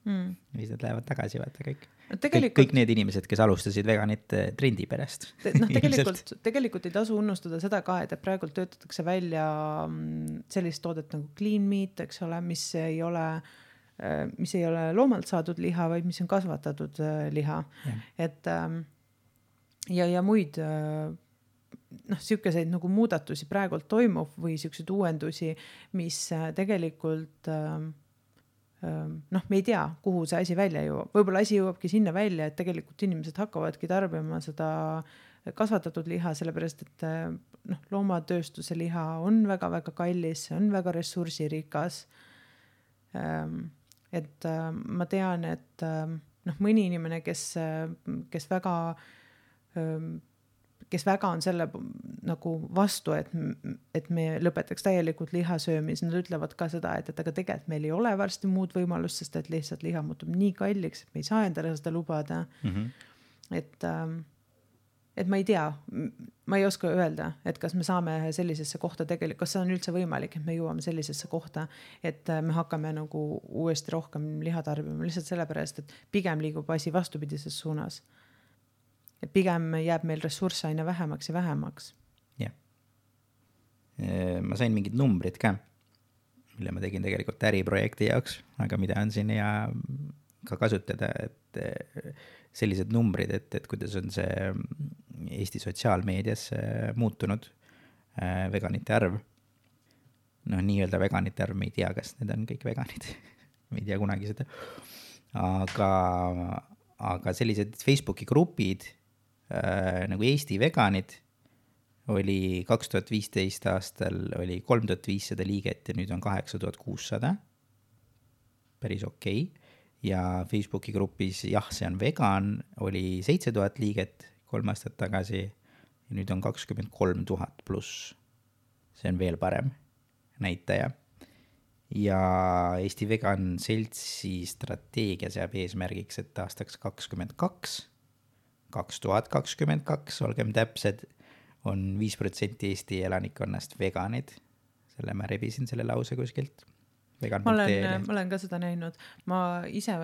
Ja siis nad lähevad tagasi, vaata kõik. Kõik need inimesed, kes alustasid veganit trendi pärast. Tegelikult ei tasu unustada seda ka, et praegu töötatakse välja sellist toodet nagu clean meat, eks ole, mis ei ole loomalt saadud liha, vaid mis on kasvatatud liha. Et ja muid siukeseid nagu muudatusi praegult toimub või siukseid uuendusi, mis tegelikult me ei tea, kuhu see asi välja jõuab. Võib-olla asi jõuabki sinna välja, et tegelikult inimesed hakkavadki tarbima seda kasvatatud liha, sellepärast et loomatööstuse liha on väga-väga kallis, see on väga ressursirikas. Et ma tean, et mõni inimene, kes väga on selle nagu vastu, et me lõpetaks täielikult lihasöömis, nad ütlevad ka seda, et aga tegelikult meil ei ole varsti muud võimalust, sest et lihtsalt liha muutub nii kalliks, et me ei saa endale seda lubada. Et ma ei tea, ma ei oska öelda, et kas me saame sellisesse kohta tegelikult, kas see on üldse võimalik, et me jõuame sellisesse kohta, et me hakkame nagu uuesti rohkem liha tarbima, lihtsalt sellepärast, et pigem liigub asi vastupidises suunas. Et pigem jääb meil ressursse aina vähemaks ja vähemaks. Jah. Ma sain mingid numbrid ka, mille ma tegin tegelikult äriprojekti jaoks, aga mida on siin ja ka kasutada, et sellised numbrid, et kuidas on see Eesti sotsiaalmeedias muutunud veganite arv. Nii-öelda veganite arv, me ei tea, kas need on kõik veganid. Me ei tea kunagi seda. Aga sellised Facebooki grupid nagu Eesti veganid oli 2015 aastal oli 3500 liiget ja nüüd on 8600. Päris okei. Ja Facebooki grupis jah, see on vegan, oli 7000 liiget 3 aastat tagasi ja nüüd on 23 000 pluss. See on veel parem näitaja. Ja Eesti vegan seltsi strateegia seab eesmärgiks, et aastaks 2022, olgem täpsed, on 5% Eesti elanikkonnast veganid. Selle ma rebisin selle lause kuskilt. Ma olen ka seda näinud. Ma ise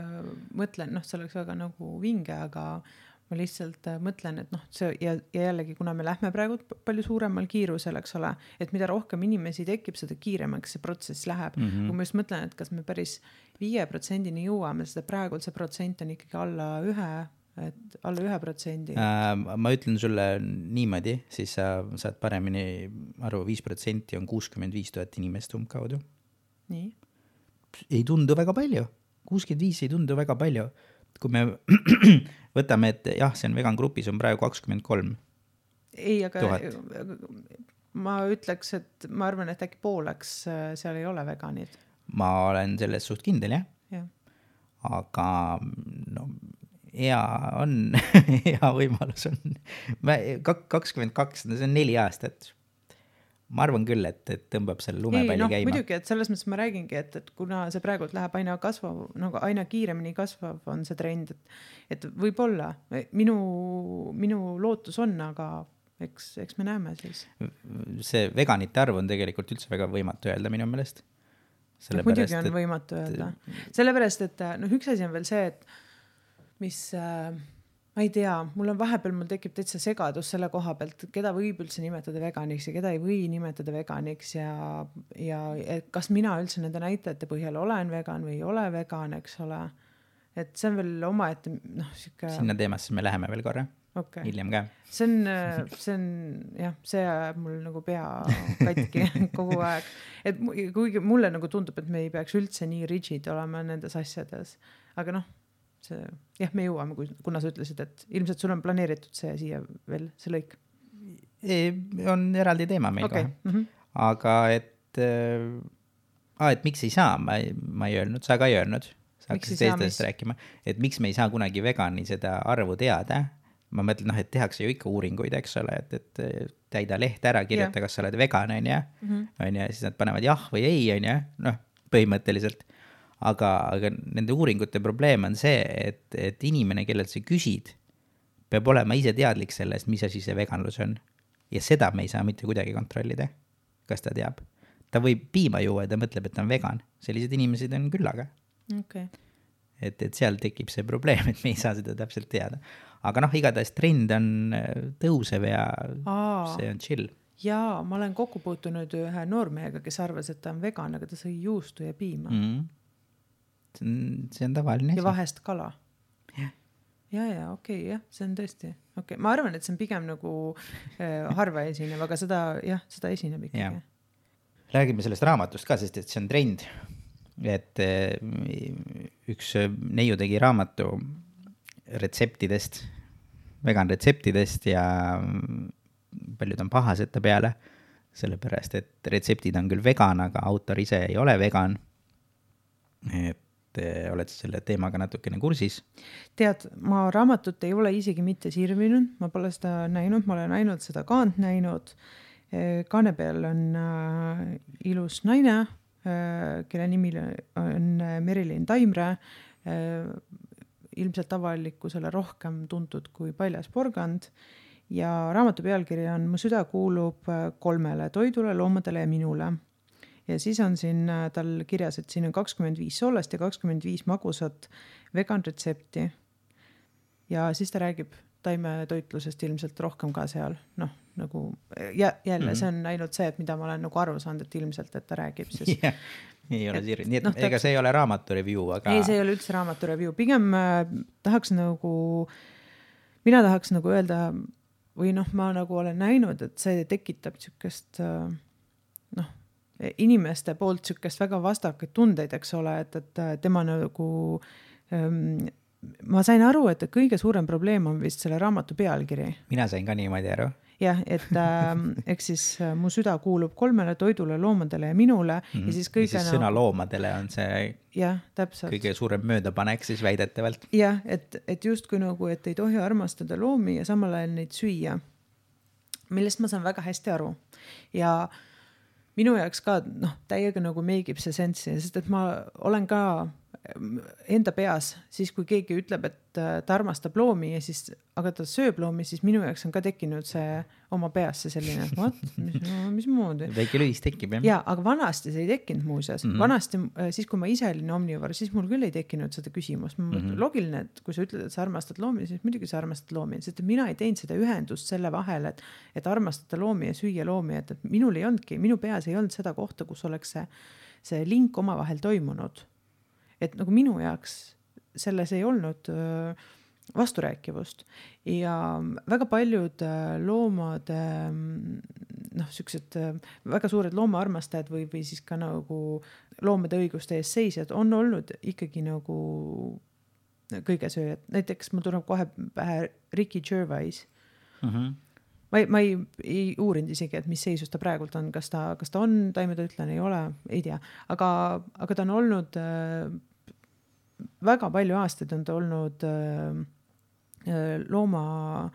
mõtlen, see oleks väga nagu vinge, aga ma lihtsalt mõtlen, et see ja jällegi, kuna me lähme praegu palju suuremal kiirusel, eks ole, et mida rohkem inimesi tekib, seda kiiremaks see protsess läheb. Kui ma just mõtlen, et kas me päris 5%-ni jõuame, seda praegu see protsent on ikkagi alla 1%. Ma ütlen sulle niimoodi, siis sa saad paremini aru, 5% on 65 000 inimest umbkaudu. Nii? Ei tundu väga palju. 65 ei tundu väga palju. Kui me võtame, et jah, see on vegan grupis on praegu 23 000. Ei, aga ma ütleks, et ma arvan, et äkki pooleks seal ei ole veganid. Ma olen selles suht kindel, jah. Aga hea on, hea võimalus on. 22, see on 4 aastat. Ma arvan küll, et tõmbab selle lumepalli käima. Muidugi, et selles mõttes ma räägingi, et kuna see praegu läheb aina kasvav, nagu aina kiiremini kasvav on see trend, et võib-olla minu lootus on, aga eks me näeme siis. See veganite arv on tegelikult üldse väga võimatu öelda minu meelest. Muidugi on võimatu öelda. Sellepärast, et üks asi on veel see, et mis ma ei tea, mul tekib täitsa segadus selle koha pealt, keda võib üldse nimetada veganiks ja keda ei või nimetada veganiks ja kas mina üldse nende näitajate põhjal olen vegan või ei ole vegan, eks ole. Et see on veel oma, et siuke... Sinna teemasse me läheme veel korra, hiljem ka. See on, jah, see ajab mul nagu pea katki kogu aeg. Et kuigi mulle nagu tundub, et me ei peaks üldse nii rigid olema nendes asjades, aga me jõuame, kuna sa ütlesid, et ilmselt sul on planeeritud see siia veel, see lõik. On eraldi teema meil kohe. Aga et miks ei saa, ma ei öelnud, sa ka ei öelnud. Sa hakkasid teistest rääkima, et miks me ei saa kunagi vegani seda arvu teada. Ma mõtlen, et tehakse ju ikka uuringuid, eks ole, et täida leht ära, kirjuta, kas sa oled vegan, on ja, siis nad panevad jah või ei, on ja, põhimõtteliselt. Aga nende uuringute probleem on see, et inimene, kellelt sa küsid, peab olema ise teadlik sellest, mis asi see veganlus on. Ja seda me ei saa mitte kuidagi kontrollida, kas ta teab. ta võib piima juua ja ta mõtleb, et ta on vegan. Sellised inimesed on küllaga. Okay. Et seal tekib see probleem, et me ei saa seda täpselt teada. Aga noh, igatahes trend on tõusev ja see on chill. Jaa, ma olen kokku puutunud ühe noormehega, kes arvas, et ta on vegan, aga ta sõi juustu ja piima. See on tavaline. Ja vahest kala. Ja, okei, jah, see on tõesti. Okay. Ma arvan, et see on pigem nagu harva esinev, aga seda esineb ikkagi. Räägime sellest raamatust ka, sest et see on trend. Et üks neiu tegi raamatu retseptidest, vegan retseptidest ja paljud on pahased ta peale, sellepärast, et retseptid on küll vegan, aga autor ise ei ole vegan. Et oled selle teemaga natukene kursis? Tead, ma raamatut ei ole isegi mitte sirvinud, ma pole seda näinud, ma olen ainult seda kaant näinud. Kaane peal on ilus naine, kelle nimi on Merilin Taimre, ilmselt avalikkusele rohkem tuntud kui Paljas porgand ja raamatu pealkiri on Mu süda kuulub 3 toidule, loomadele ja minule. Ja siis on siin tal kirjas, et siin on 25 soolast ja 25 magusat vegan retsepti. Ja siis ta räägib taimetoitlusest ilmselt rohkem ka seal. Noh, nagu jälle see on ainult see, et mida ma olen nagu aru saanud, et ilmselt, et ta räägib. Siis, ei ole sirvi. Nii et ega see ei ole raamatu review, aga... Ei, see ei ole üldse raamatu review. Pigem mina tahaks nagu öelda, või noh, ma nagu olen näinud, et see tekitab sükest, inimeste poolt sükest väga vastakaid tundeid, eks ole, et tema nagu, ma sain aru, et kõige suurem probleem on vist selle raamatu pealkiri. Mina sain ka niimoodi aru. Jah, et eks siis Mu süda kuulub 3 toidule, loomadele ja minule. Ja siis sõna loomadele on see kõige suurem möödapanek siis väidetavalt. Jah, et justkui nagu, et ei tohi armastada loomi ja samal ajal neid süüa, millest ma saan väga hästi aru. Ja minu jaoks ka täiega nagu meegib see sensi, sest et ma olen ka enda peas, siis kui keegi ütleb, et ta armastab loomi ja siis, aga ta sööb loomi, siis minu jaoks on ka tekkinud see oma peas see selline, mis moodi. Väike lühis tekib, jah? Ja, aga vanasti see ei tekkinud muuseas. Vanasti, siis kui ma ise olin omnivar, siis mul küll ei tekkinud seda küsimust. Logiline, et kui sa ütled, et sa armastad loomi, siis muidugi sa armastad loomi. Sest mina ei teinud seda ühendust selle vahel, et armastada loomi ja süüa loomi, et minul ei olnudki, minu peas ei olnud seda kohta, kus oleks see link oma vahel toimunud. Et nagu minu jaoks selles ei olnud vasturääkivust ja väga paljud loomade, süksed väga suured loomaarmastajad või siis ka nagu loomade õiguste ees seisjad on olnud ikkagi nagu kõige sööjad. Näiteks mul tuleb kohe pähe Ricky Gervais. Ma ei uurinud isegi, et mis seisus ta praegult on, kas ta on taimetoitlane, ei ole, ei tea, aga ta on olnud väga palju aastaid on ta olnud loomade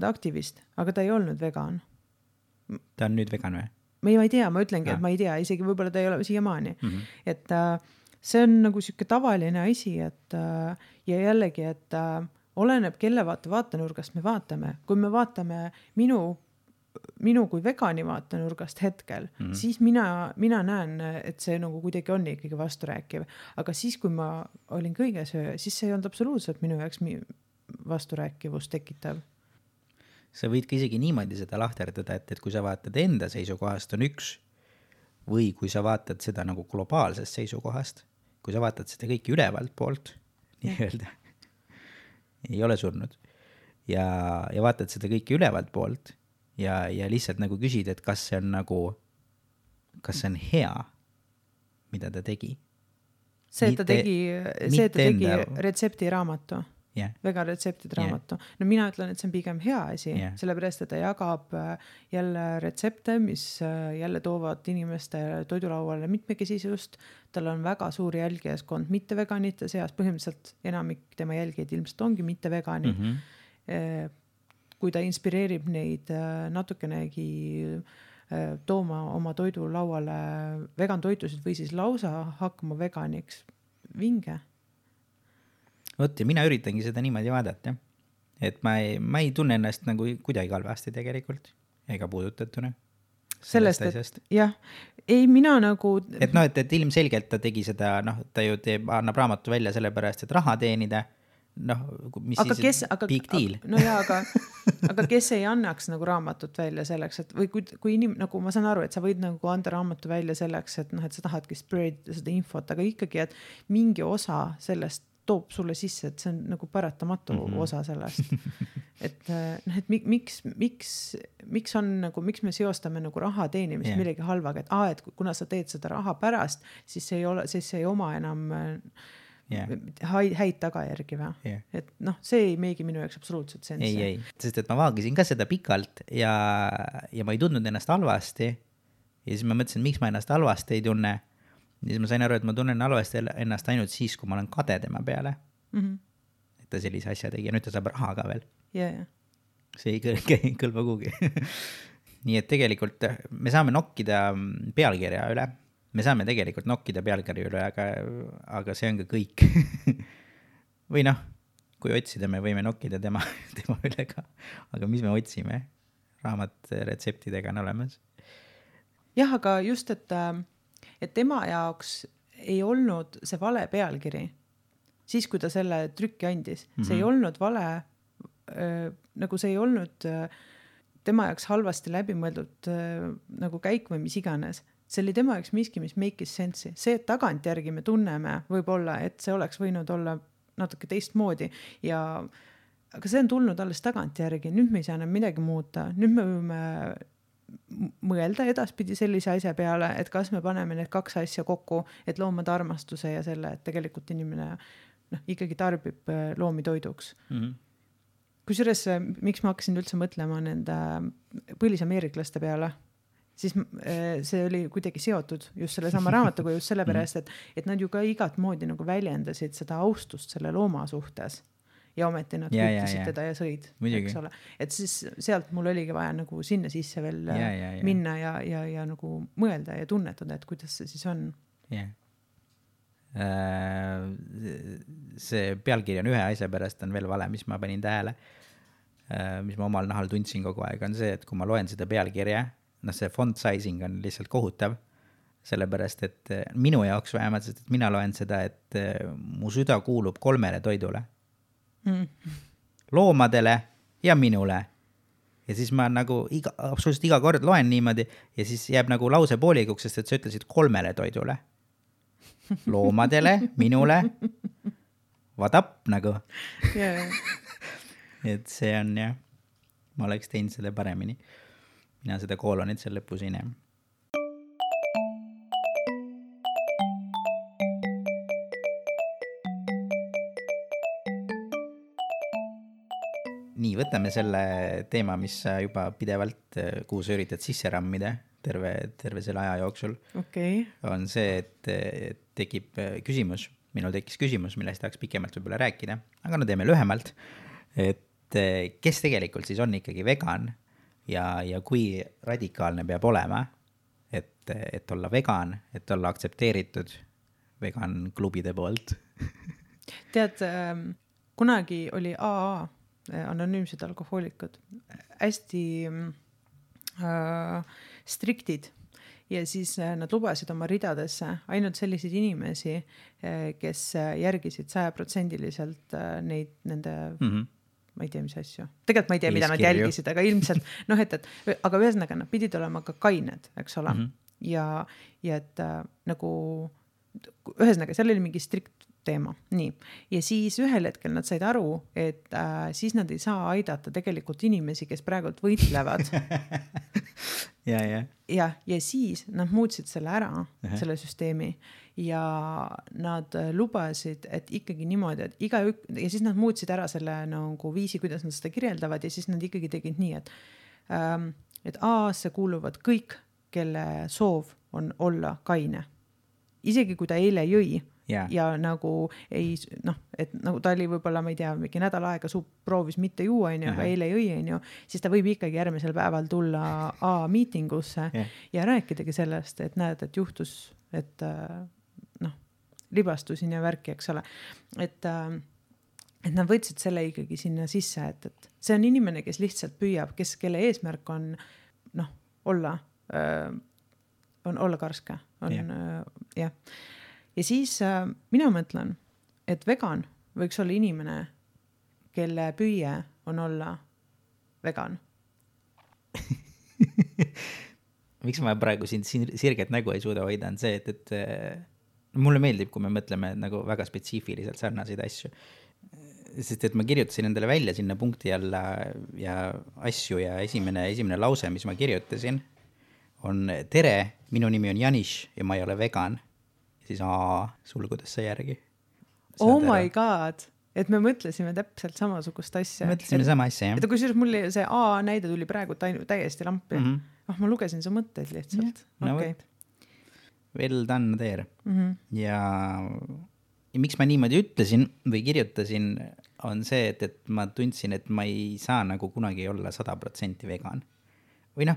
aktivist, aga ta ei olnud vegan. Ta on nüüd vegan või? Ma ei tea, ma ütlengi, et ma ei tea, isegi võib-olla ta ei ole siiamaani. Et see on nagu siuke tavaline asi, et ja jällegi, et oleneb, kelle vaatenurgast me vaatame. Kui me vaatame minu kui vegani vaatenurgast hetkel, siis mina näen, et see nagu kuidagi on ikkagi vasturääkiv. Aga siis, kui ma olin kõige söö, siis see ei olnud absoluutselt minu jaoks vasturääkivust tekitav. Sa võid ka isegi niimoodi seda lahterdada, et kui sa vaatad enda seisukohast on üks, või kui sa vaatad seda nagu globaalsest seisukohast, kui sa vaatad seda kõiki ülevalt poolt, nii öelda, ei ole surnud, ja vaatad seda kõiki ülevalt poolt, ja lihtsalt nagu küsid, et kas see on hea, mida ta tegi. See, et ta tegi retsepti raamatu. Vegan retseptid raamatu. No mina ütlen, et see on pigem hea asi, sellepärast, et ta jagab jälle retsepte, mis jälle toovad inimeste toidulauale mitmekesisust. Tal on väga suur jälgijaskond mitte veganite seas, põhimõtteliselt enamik tema jälgijaid ilmselt ongi mitte vegani. Kui ta inspireerib neid natukenegi tooma oma toidulauale vegan toitusid või siis lausa hakkama veganiks, vinge. Ja mina üritangi seda niimoodi vaadata, et ma ei tunne ennast nagu kuidagi halvasti tegelikult ega puudutatuna. sellest asjast. Jah, ei mina nagu... Et noh, et ilmselgelt ta tegi seda, noh, ta ju annab raamatu välja sellepärast, et raha teenida, noh, mis aga siis big deal. No jaa, aga kes ei annaks nagu raamatut välja selleks, et või kui nagu ma saan aru, et sa võid nagu anda raamatu välja selleks, et noh, et sa tahadki spread seda infot, aga ikkagi, et mingi osa sellest toob sulle sisse, et see on nagu paratamatu osa sellest. Et noh, et miks on nagu, miks me seostame nagu raha teenimist millegi halvaga, et kuna sa teed seda raha pärast, siis see ei oma enam häid tagajärgi või? Et noh, see ei meegi minu jaoks absoluutselt sensi. Ei, sest et ma vaagisin ka seda pikalt ja ma ei tundnud ennast halvasti ja siis ma mõtlesin, miks ma ennast halvasti ei tunne. Ja siis ma sain aru, et ma tunnen halvasti ennast ainult siis, kui ma olen kade tema peale. Et ta sellise asja tegi ja nüüd ta saab raha ka veel. See ei kõlba kuhugi. Nii et tegelikult me saame nokkida pealkirja üle. Me saame tegelikult nokkida pealkirja üle, aga see on ka kõik. Või noh, kui otsida, me võime nokkida tema üle ka. Aga mis me otsime? Raamat retseptidega on olemas. Jah, aga just, et tema jaoks ei olnud see vale pealkiri, siis kui ta selle trükki andis. See ei olnud vale, nagu see ei olnud tema jaoks halvasti läbimõeldud nagu käik või mis iganes. See oli tema jaoks miski, mis make'is sensi. See, et tagantjärgi me tunneme võib-olla, et see oleks võinud olla natuke teistmoodi aga see on tulnud alles tagantjärgi. Nüüd me ei saa enam midagi muuta. Nüüd me võime mõelda edaspidi sellise asja peale, et kas me paneme need kaks asja kokku, et loomade armastuse ja selle, et tegelikult inimene ikkagi tarbib loomi toiduks. Kusjuures, miks ma hakkasin üldse mõtlema nende põlisameeriklaste peale, siis see oli kuidagi seotud just selle sama raamatuga just sellepärast, et nad ju ka igat moodi nagu väljendasid seda austust selle looma suhtes. Ja ometi nad küttisid teda ja sõid. Eks ole. Et siis sealt mul oligi vaja nagu sinna sisse veel minna ja nagu mõelda ja tunnetada, et kuidas see siis on. See pealkiri on ühe asja pärast on veel vale, mis ma panin tähele, mis ma omal nahal tundsin kogu aeg, on see, et kui ma loen seda pealkirja, see font sizing on lihtsalt kohutav, sellepärast, et minu jaoks vähemalt, sest et mina loen seda, et mu süda kuulub 3 toidule. Loomadele ja minule. Ja siis ma nagu absoluutselt iga kord loen niimoodi ja siis jääb nagu lause poolikuks, sest et sa ütlesid 3 toidule. Loomadele, minule, what up nagu. Et see on jah, ma oleks teinud seda paremini. Mina seda koolonit seal lõpus ei näe. Nii, võtame selle teema, mis juba pidevalt, kuhu sa üritad sisse rammida terve selle aja jooksul. On see, et tekib küsimus, minul tekkis küsimus, millest tahaks pikemalt võib-olla rääkida, aga no teeme lühemalt, et kes tegelikult siis on ikkagi vegan ja kui radikaalne peab olema, et olla vegan, et olla aktsepteeritud vegan klubide poolt. Tead, kunagi oli AA, anonüümsed alkohoolikud, hästi striktid ja siis nad lubasid oma ridadesse ainult selliseid inimesi, kes järgisid 100% nende ma ei tea, mis asju. Tegelikult ma ei tea, mida nad jälgisid, aga ilmselt aga ühesõnaga nad pidid olema ka kained, eks ole. Ja et nagu ühesõnaga, seal oli mingi strikt teema. Nii. Ja siis ühel hetkel nad said aru, et siis nad ei saa aidata tegelikult inimesi, kes praegult võitlevad. Ja siis nad muutsid selle ära, selle süsteemi ja nad lubasid, et ikkagi niimoodi, et ja siis nad muutsid ära selle nagu viisi, kuidas nad seda kirjeldavad ja siis nad ikkagi tegid nii, et AA-sse kuuluvad kõik, kelle soov on olla kaine. Isegi kui ta eile jõi, ja nagu ei, et nagu ta oli võib-olla, ma ei tea, mingi nädal aega proovis mitte juua, aga eile jõi, siis ta võib ikkagi järgmisel päeval tulla A-miitingusse ja rääkidagi sellest, et näed, et juhtus, et libastusin ja värki, eks ole. Et nad võtsid selle ikkagi sinna sisse, et see on inimene, kes lihtsalt püüab, kelle eesmärk on olla on olla karske, on jah. Ja siis mina mõtlen, et vegan võiks olla inimene, kelle püüe on olla vegan. Miks ma praegu siin sirget nägu ei suuda hoida, on see, et mulle meeldib, kui me mõtleme nagu väga spetsiifiliselt sarnaseid asju. Sest et ma kirjutasin endale välja sinna punkti alla ja asju ja esimene lause, mis ma kirjutasin, on tere, minu nimi on Janis ja ma ei ole vegan. Ja siis sulgudes sai järgi. Oh my god, et me mõtlesime täpselt samasugust asja. Mõtlesime sama asja, jah. Et kui see näide tuli praegu täiesti lampi. Ma lugesin su mõtteid lihtsalt. No okay. Well done there. Ja miks ma niimoodi ütlesin või kirjutasin, on see, et ma tundsin, et ma ei saa nagu kunagi olla 100% vegan. Või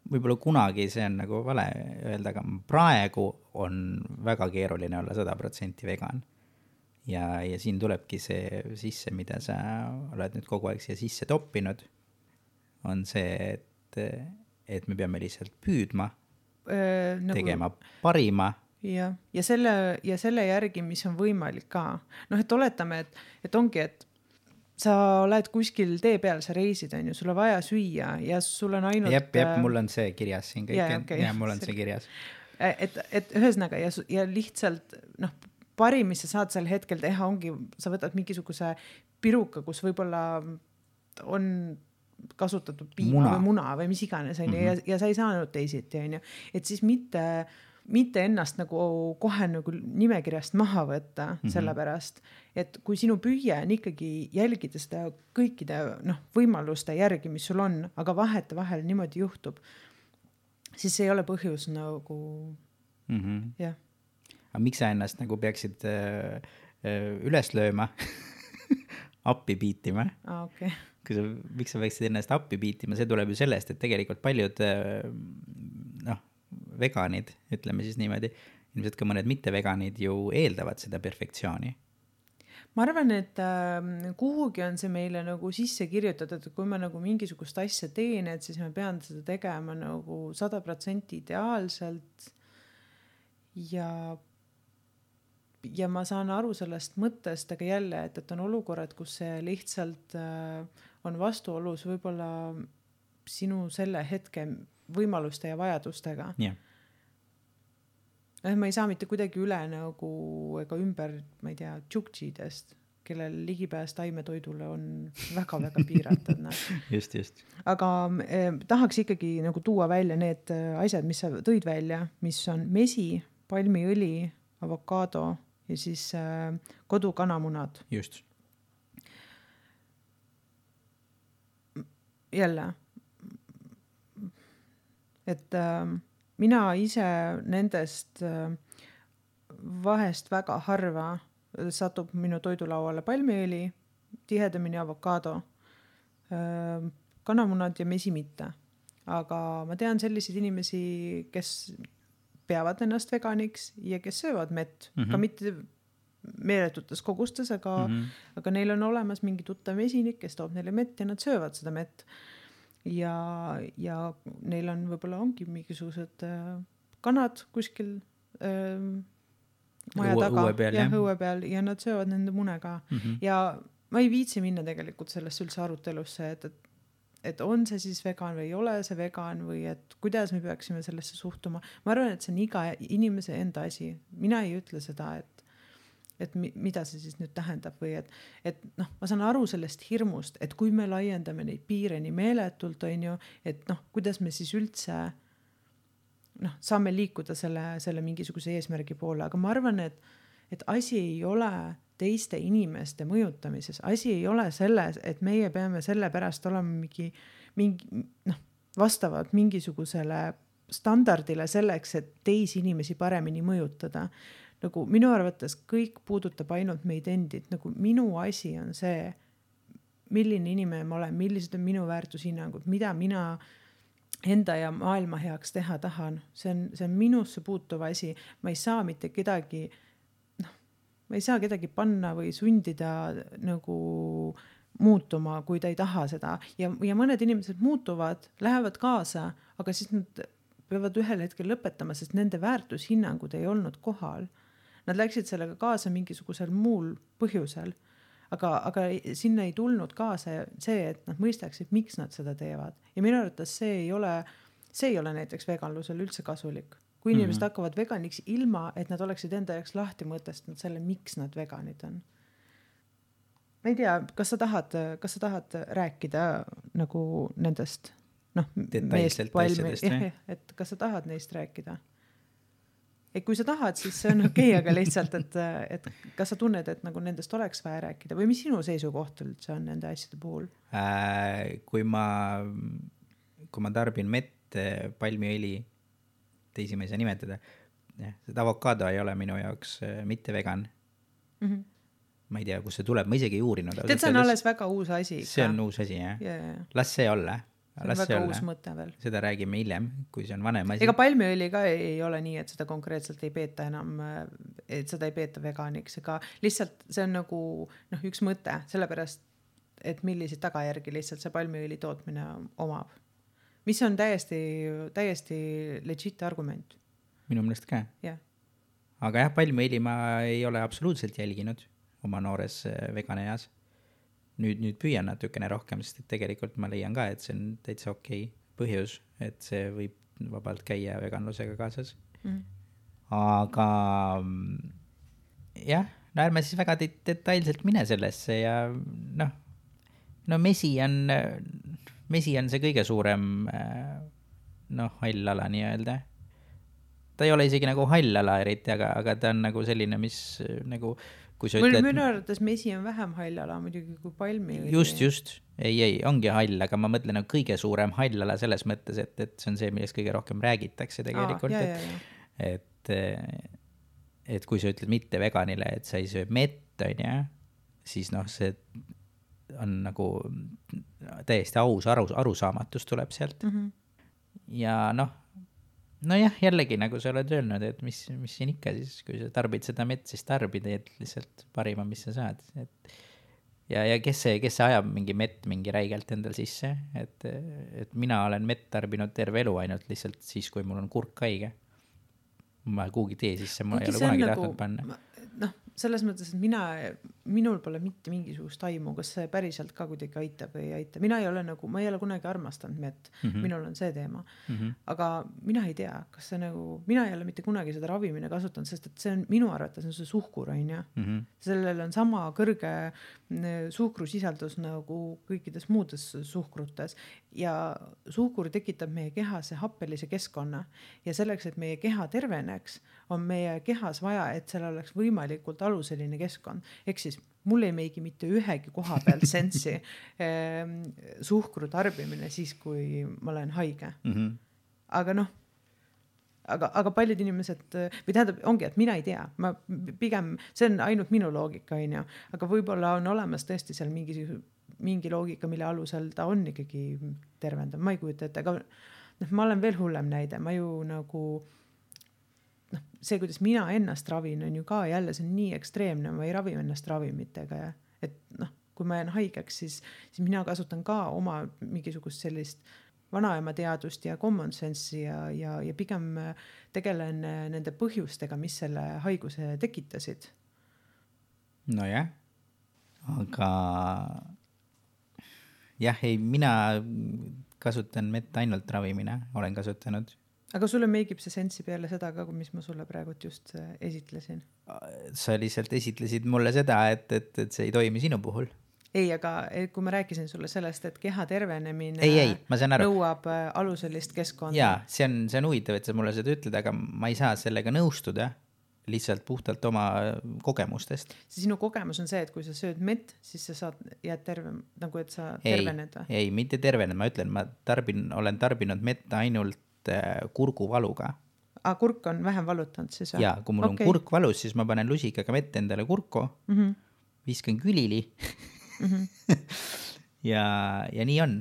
võib-olla kunagi see on nagu vale öelda, aga praegu on väga keeruline olla 100% vegan. Ja siin tulebki see sisse, mida sa oled nüüd kogu aeg siia sisse toppinud, on see, et me peame lihtsalt püüdma, tegema parima. Ja selle järgi, mis on võimalik ka. Et oletame, et ongi, et sa oled kuskil tee peal, sa reisid, on ju, sul on vaja süüa ja sul on ainult... Jep, mul on see kirjas siin kõik. Ja mul on see kirjas. Et ühesõnaga ja lihtsalt, parim, mis sa saad sel hetkel teha, ongi, sa võtad mingisuguse piruka, kus võib-olla on kasutatud piima või muna või mis iganes, on ju, ja sa ei saanud teisiti, on ju. Et siis mitte ennast nagu kohe nagu nimekirjast maha võtta sellepärast, et kui sinu püüe on ikkagi jälgida seda kõikide võimaluste järgi, mis sul on, aga vahel niimoodi juhtub, siis ei ole põhjus nagu jah. Aga miks sa ennast nagu peaksid üles lööma, appi piitima? Okay. Miks sa peaksid ennast appi piitima? See tuleb ju sellest, et tegelikult paljud veganid, ütleme siis niimoodi, ilmselt ka mõned mitte-veganid ju eeldavad seda perfektsiooni. Ma arvan, et kuhugi on see meile nagu sisse kirjutatud, et kui ma nagu mingisugust asja teen, et siis ma pean seda tegema nagu 100% ideaalselt ja ma saan aru sellest mõttest, aga jälle, et on olukorrad, kus see lihtsalt on vastuolus võib-olla sinu selle hetke võimaluste ja vajadustega. Yeah. Ma ei saa mitte kuidagi üle nagu ega ümber, ma ei tea, tšuktšidest, kellel ligipääs taimetoidule on väga-väga piiratud. Just. Aga tahaks ikkagi nagu tuua välja need asjad, mis sa tõid välja, mis on mesi, palmiõli, avokaado ja siis kodukanamunad. Just. Jälle, et mina ise nendest vahest väga harva satub minu toidulauale palmiõli, tihedamini avokaado, kanamunad ja mesi mitte. Aga ma tean selliseid inimesi, kes peavad ennast veganiks ja kes söövad mett, ka mitte meeletutes kogustes, aga neil on olemas mingi tuttav mesinik, kes toob neile mett ja nad söövad seda mett. Ja neil on võib-olla ongi mingisugused kanad kuskil maja taga õue peal ja nad söövad nende mune ka. Ja ma ei viitsi minna tegelikult sellest üldse arutelusse, et on see siis vegan või ei ole see vegan või et kuidas me peaksime sellesse suhtuma. Ma arvan, et see on iga inimese enda asi. Mina ei ütle seda, et mida see siis nüüd tähendab või et ma saan aru sellest hirmust, et kui me laiendame neid piire nii meeletult, on ju, et kuidas me siis üldse saame liikuda selle mingisuguse eesmärgi poole, aga ma arvan, et asi ei ole teiste inimeste mõjutamises, asi ei ole selles, et meie peame selle pärast olema mingi vastavad mingisugusele standardile selleks, et teisi inimesi paremini mõjutada. Nagu minu arvates kõik puudutab ainult meid endid, nagu minu asi on see, milline inimene ma olen, millised on minu väärtushinnangud, mida mina enda ja maailma heaks teha tahan. See on minusse puutuv asi. Ma ei saa mitte kedagi, ma ei saa kedagi panna või sundida nagu muutuma, kui ta ei taha seda. Ja mõned inimesed muutuvad, lähevad kaasa, aga siis nad peavad ühel hetkel lõpetama, sest nende väärtushinnangud ei olnud kohal. Nad läksid sellega kaasa mingisugusel muul põhjusel, aga sinna ei tulnud kaasa see, et nad mõistaksid, miks nad seda teevad. Ja minu arvates see ei ole näiteks veganlusel üldse kasulik. Kui inimesed hakkavad veganiks ilma, et nad oleksid enda jaoks lahti mõtestanud selle, miks nad veganid on. Ma ei tea, kas sa tahad rääkida nagu nendest detailselt asjadest või? Et kas sa tahad neist rääkida? Et kui sa tahad, siis see on okei, aga lihtsalt, et kas sa tunned, et nagu nendest oleks vaja rääkida või mis sinu seisukoht üldse on nende asjade puhul? Kui ma tarbin mett, palmiõli, teisi ma ei saa nimetada, seda avokaado ei ole minu jaoks mitte vegan. Ma ei tea, kus see tuleb, ma isegi ei uurinud. Tead, see on alles väga uus asi. See on uus asi, jah? Las see olla. See on väga uus mõte veel. Seda räägime hiljem, kui see on vanem asi. Ega palmiõli ka ei ole nii, et seda konkreetselt ei peeta enam, et seda ei peeta veganiks, ega lihtsalt see on nagu üks mõte, sellepärast, et milliseid tagajärgi lihtsalt see palmiõli tootmine omab. Mis on täiesti legit argument. Minu meelest ka. Yeah. Aga jah, palmiõli ma ei ole absoluutselt jälginud oma noores veganeas. Nüüd püüan natukene rohkem, sest tegelikult ma leian ka, et see on täitsa okei põhjus, et see võib vabalt käia veganlusega kaasas. Aga jah, ärme siis väga detailselt mine sellesse ja mesi on see kõige suurem hall ala nii-öelda. Ta ei ole isegi nagu hall ala eriti, aga ta on nagu selline, mis nagu kui sa ütled... Minu arvates mesi on vähem hall ala muidugi kui palmi. Just. Ei, ongi hall, aga ma mõtlen kõige suurem hall ala selles mõttes, et see on see, millest kõige rohkem räägitakse tegelikult. Et kui sa ütled mitte veganile, et sa ei söö mett, siis see on nagu täiesti aus arusaamatus tuleb sealt. Ja nojah, jällegi nagu sa oled öelnud, et mis siin ikka siis, kui sa tarbid seda mett, siis tarbid lihtsalt parima, mis sa saad. Ja kes see ajab mingi mett mingi räigelt endal sisse, et mina olen mett tarbinud terve elu ainult lihtsalt siis, kui mul on kurk haige. Ma kuugi tee sisse, ma ei ole kunagi tahtnud panna. Selles mõttes, et minul pole mitte mingisugust taimu, kas see päriselt ka kuidagi aitab või ei aita. Ma ei ole kunagi armastanud mett, minul on see teema. Aga mina ei tea, kas see mina ei ole mitte kunagi seda ravimine kasutanud, sest et see on minu arvates on see suhkur, sellel on sama kõrge suhkrusisaldus nagu kõikides muudes suhkrutes ja suhkur tekitab meie kehasse happelise keskkonna ja selleks, et meie keha terveneks, on meie kehas vaja, et seal oleks võimalikult aluseline keskkond. Ehk siis mul ei meigi mitte ühegi koha pealt sensi suhkru tarbimine siis, kui ma olen haige. Aga paljud inimesed, või tähendab, ongi, et mina ei tea. Pigem, see on ainult minu loogika, aga võib-olla on olemas tõesti seal mingi loogika, mille alusel ta on ikkagi tervendav. Ma ei kujuta ette, aga ma olen veel hullem näide. Ma ju nagu... see, kuidas mina ennast ravin, on ju ka jälle, see on nii ekstreemne, ma ei ravi ennast ravimitega ja et kui ma jään haigeks, siis mina kasutan ka oma mingisugust sellist vanaema teadust ja common sense'i ja pigem tegelen nende põhjustega, mis selle haiguse tekitasid. Nojah, aga jah, ei, mina kasutan mett ainult ravimine, olen kasutanud. Aga sulle meigib see sensi peale seda ka, mis ma sulle praegu just esitlesin? Sa lihtsalt esitlesid mulle seda, et see ei toimi sinu puhul. Ei, aga kui ma rääkisin sulle sellest, et keha tervenemine nõuab aluselist keskkonda. Jaa, see on huvitav, et sa mulle seda ütled, aga ma ei saa sellega nõustuda lihtsalt puhtalt oma kogemustest. Sinu kogemus on see, et kui sa sööd mett, siis sa jääd terve, nagu et sa tervened. Ei, mitte tervened, ma ütlen, ma olen tarbinud mett ainult kurguvaluga. Kurk on vähem valutanud siis? Jaa, kui mul on kurk valus, siis ma panen lusikaga mett endale kurku, viskan külili ja nii on.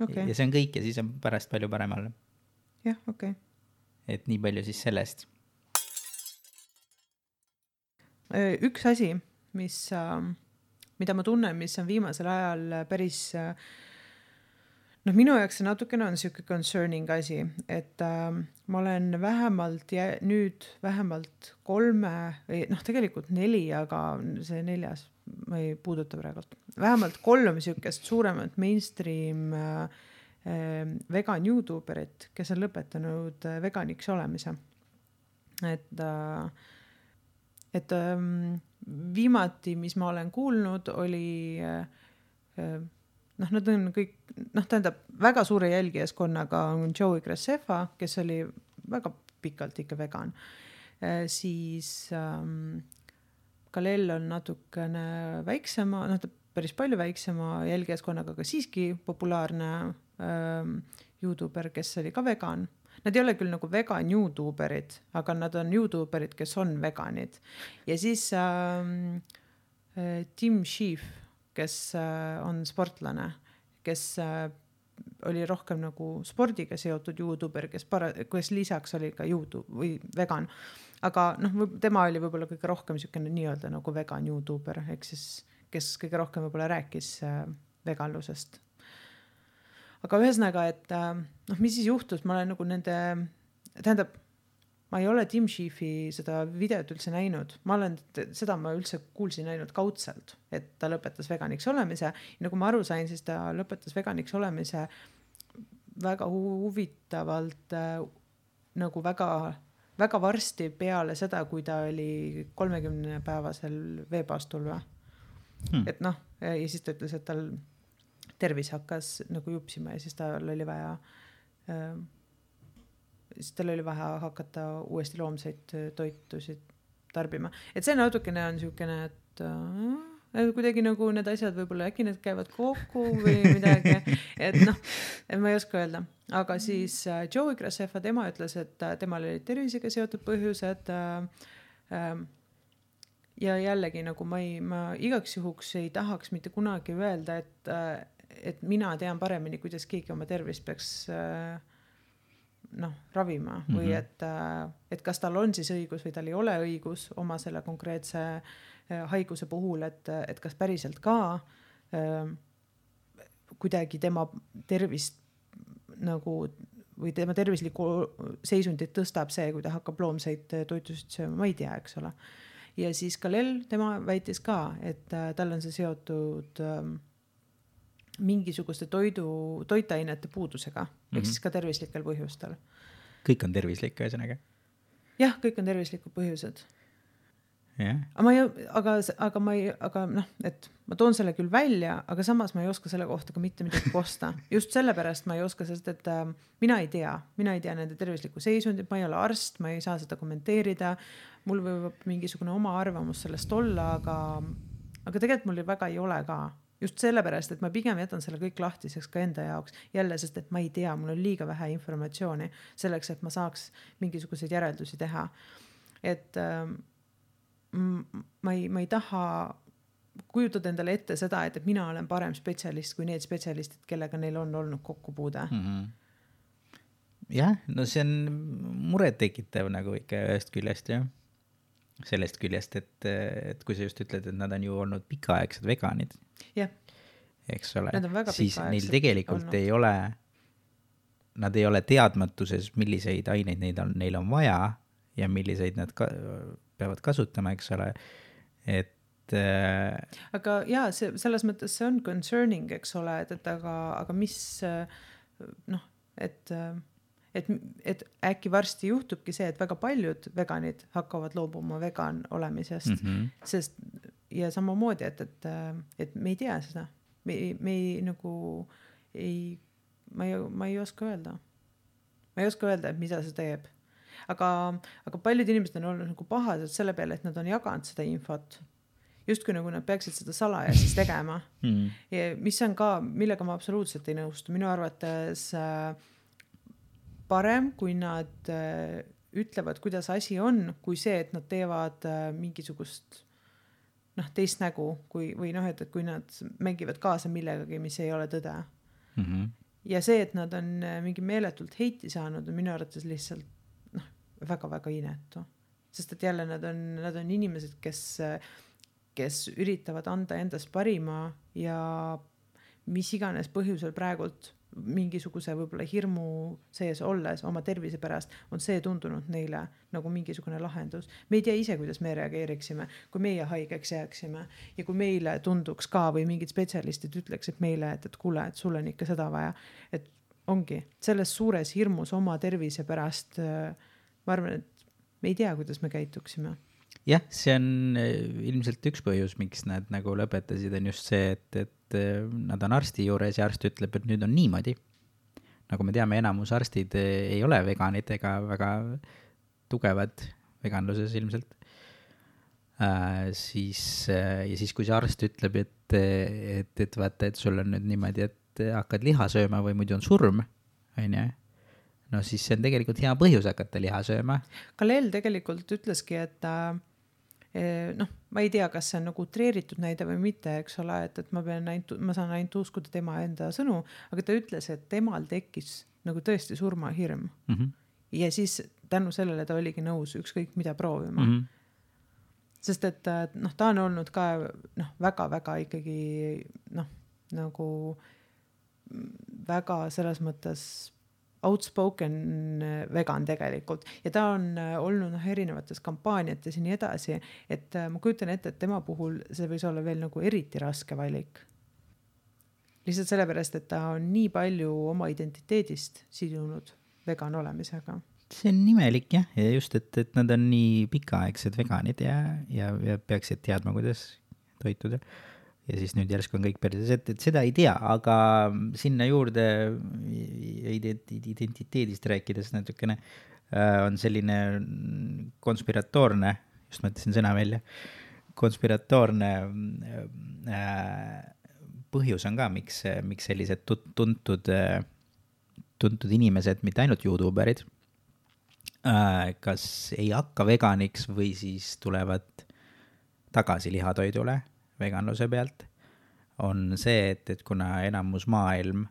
Ja see on kõik ja siis on pärast palju parem olla. Jah, Et nii palju siis sellest. Üks asi, mida ma tunnen, mis on viimasel ajal päris noh, minu jaoks see natukene on siuke concerning asi, et ma olen nüüd vähemalt 3 või noh, tegelikult 4, aga see 4. ma ei puuduta praegult. Vähemalt 3 siukest suuremat mainstream vegan YouTuberit, kes on lõpetanud veganiks olemise. Et viimati, mis ma olen kuulnud, oli noh, nad on kõik, noh, tähendab, väga suure jälgijaskonnaga on Joey Graceffa, kes oli väga pikalt ikka vegan. Siis Kalel on natukene väiksema, noh, ta päris palju väiksema jälgijaskonnaga, aga siiski populaarne YouTuber, kes oli ka vegan. Nad ei ole küll nagu vegan YouTuberid, aga nad on YouTuberid, kes on veganid. Ja siis Tim Schiff, kes on sportlane, kes oli rohkem nagu spordiga seotud YouTuber, kes lisaks oli ka YouTube või vegan. Aga noh, tema oli võib-olla kõige rohkem niisugune nii-öelda nagu vegan YouTuber, ehk siis kes kõige rohkem võib-olla rääkis veganlusest. Aga ühesõnaga, et noh, mis siis juhtus, ma olen nagu tähendab, ma ei ole Tim Schiffi seda videot üldse näinud, seda ma üldse kuulsin ainult kaudselt, et ta lõpetas veganiks olemise. Ja nagu ma aru sain, siis ta lõpetas veganiks olemise väga huvitavalt nagu väga varsti peale seda, kui ta oli 30-päevasel veepaastul. Et noh, ja siis ta ütles, et tal tervis hakkas nagu jupsima ja siis tal oli vaja hakata uuesti loomseid toitusid tarbima. Et see natukene on niisugune, et kuidagi nagu need asjad võib-olla äkki need käivad kokku või midagi, et noh, ma ei oska öelda. Aga siis Joey Graceffa, tema ütles, et temal oli tervisega seotud põhjused ja jällegi nagu ma igaks juhuks ei tahaks mitte kunagi öelda, et mina tean paremini, kuidas keegi oma tervist peaks noh, ravima või et kas tal on siis õigus või tal ei ole õigus oma selle konkreetse haiguse puhul, et kas päriselt ka kuidagi tema tervist nagu või tema tervislikku seisundit tõstab see, kui ta hakkab loomseid toitusid sööma, ma ei tea, eks ole. Ja siis Kalel, tema väitis ka, et tal on see seotud mingisuguste toitainete puudusega, ehk siis ka tervislikel põhjustel. Kõik on tervislik, ühesõnaga? Jah, kõik on tervislikud põhjused. Yeah. Aga noh, et ma toon selle küll välja, aga samas ma ei oska selle kohta ka mitte midagi kosta. Just sellepärast ma ei oska, sest et mina ei tea nende tervislikku seisundit, ma ei ole arst, ma ei saa seda kommenteerida, mul võib mingisugune oma arvamus sellest olla, aga tegelikult mul väga ei ole ka. Just sellepärast, et ma pigem jätan selle kõik lahtiseks ka enda jaoks. Jälle, sest et ma ei tea, mul on liiga vähe informatsiooni selleks, et ma saaks mingisuguseid järeldusi teha. Et ma ei taha kujutada endale ette seda, et mina olen parem spetsialist kui need spetsialistid, kellega neil on olnud kokkupuude. Jah, no see on muret tekitav nagu ikka ühest küljest, jah. Sellest küljest, et kui sa just ütled, et nad on ju olnud pikaaegsed veganid, eks ole, siis neil tegelikult ei ole, nad ei ole teadmatuses, milliseid aineid neil on vaja ja milliseid nad peavad kasutama, eks ole, et aga jaa, selles mõttes see on concerning, eks ole, et aga mis noh, et äkki varsti juhtubki see, et väga paljud veganid hakkavad loobuma vegan olemisest, sest ja samamoodi, et me ei tea seda, me ei nagu ma ei oska öelda, et mida see teeb, aga paljud inimesed on olnud nagu pahased selle peale, et nad on jaganud seda infot justkui nagu nad peaksid seda salajases tegema ja mis on ka, millega ma absoluutselt ei nõustu, minu arvates parem, kui nad ütlevad, kuidas asi on, kui see, et nad teevad mingisugust teist nägu, või noh, et kui nad mängivad kaasa millegagi, mis ei ole tõde. Ja see, et nad on mingi meeletult heiti saanud, on minu arvates lihtsalt väga-väga inetu. Sest et jälle nad on inimesed, kes üritavad anda endast parima ja mis iganes põhjusel praegult mingisuguse võib-olla hirmu sees olles oma tervise pärast, on see tundunud neile nagu mingisugune lahendus. Me ei tea ise, kuidas me reageeriksime, kui meie haigeks jääksime ja kui meile tunduks ka või mingid spetsialistid ütleksid meile, et kuule, et sul on ikka seda vaja. Et ongi selles suures hirmus oma tervise pärast, ma arvan, et me ei tea, kuidas me käituksime. Jah, see on ilmselt üks põhjus, miks nad nagu lõpetasid, on just see, et nad on arsti juures ja arst ütleb, et nüüd on niimoodi. Nagu me teame, enamus arstid ei ole veganid ega väga tugevad veganluses ilmselt. Ja siis, kui see arst ütleb, et vaata, et sul on nüüd niimoodi, et hakkad liha sööma või muidu on surm, on ju? No siis see on tegelikult hea põhjus hakata liha sööma. Kalel tegelikult ütleski, et ma ei tea, kas see on nagu utreeritud näide või mitte, eks ole, et ma saan ainult uskuda tema enda sõnu, aga ta ütles, et temal tekkis nagu tõesti surmahirm. Ja siis tänu sellele ta oligi nõus ükskõik mida proovima. Sest et ta on olnud ka väga-väga ikkagi nagu väga selles mõttes outspoken vegan tegelikult ja ta on olnud erinevates kampaaniates ja nii edasi, et ma kujutan ette, et tema puhul see võis olla veel nagu eriti raske valik. Lihtsalt sellepärast, et ta on nii palju oma identiteedist sidunud vegan olemisega. See on nimelik jah, ja just, et nad on nii pikaaegsed veganid ja peaksid teadma, kuidas toituda. Ja siis nüüd järsku on kõik perses, et seda ei tea, aga sinna juurde identiteedist rääkides natukene on selline konspiratoorne, just mõtlesin sõna välja, konspiratoorne põhjus on ka, miks sellised tuntud inimesed, mitte ainult YouTuberid, kas ei hakka veganiks või siis tulevad tagasi lihatoidule veganluse pealt, on see, et kuna enamus maailm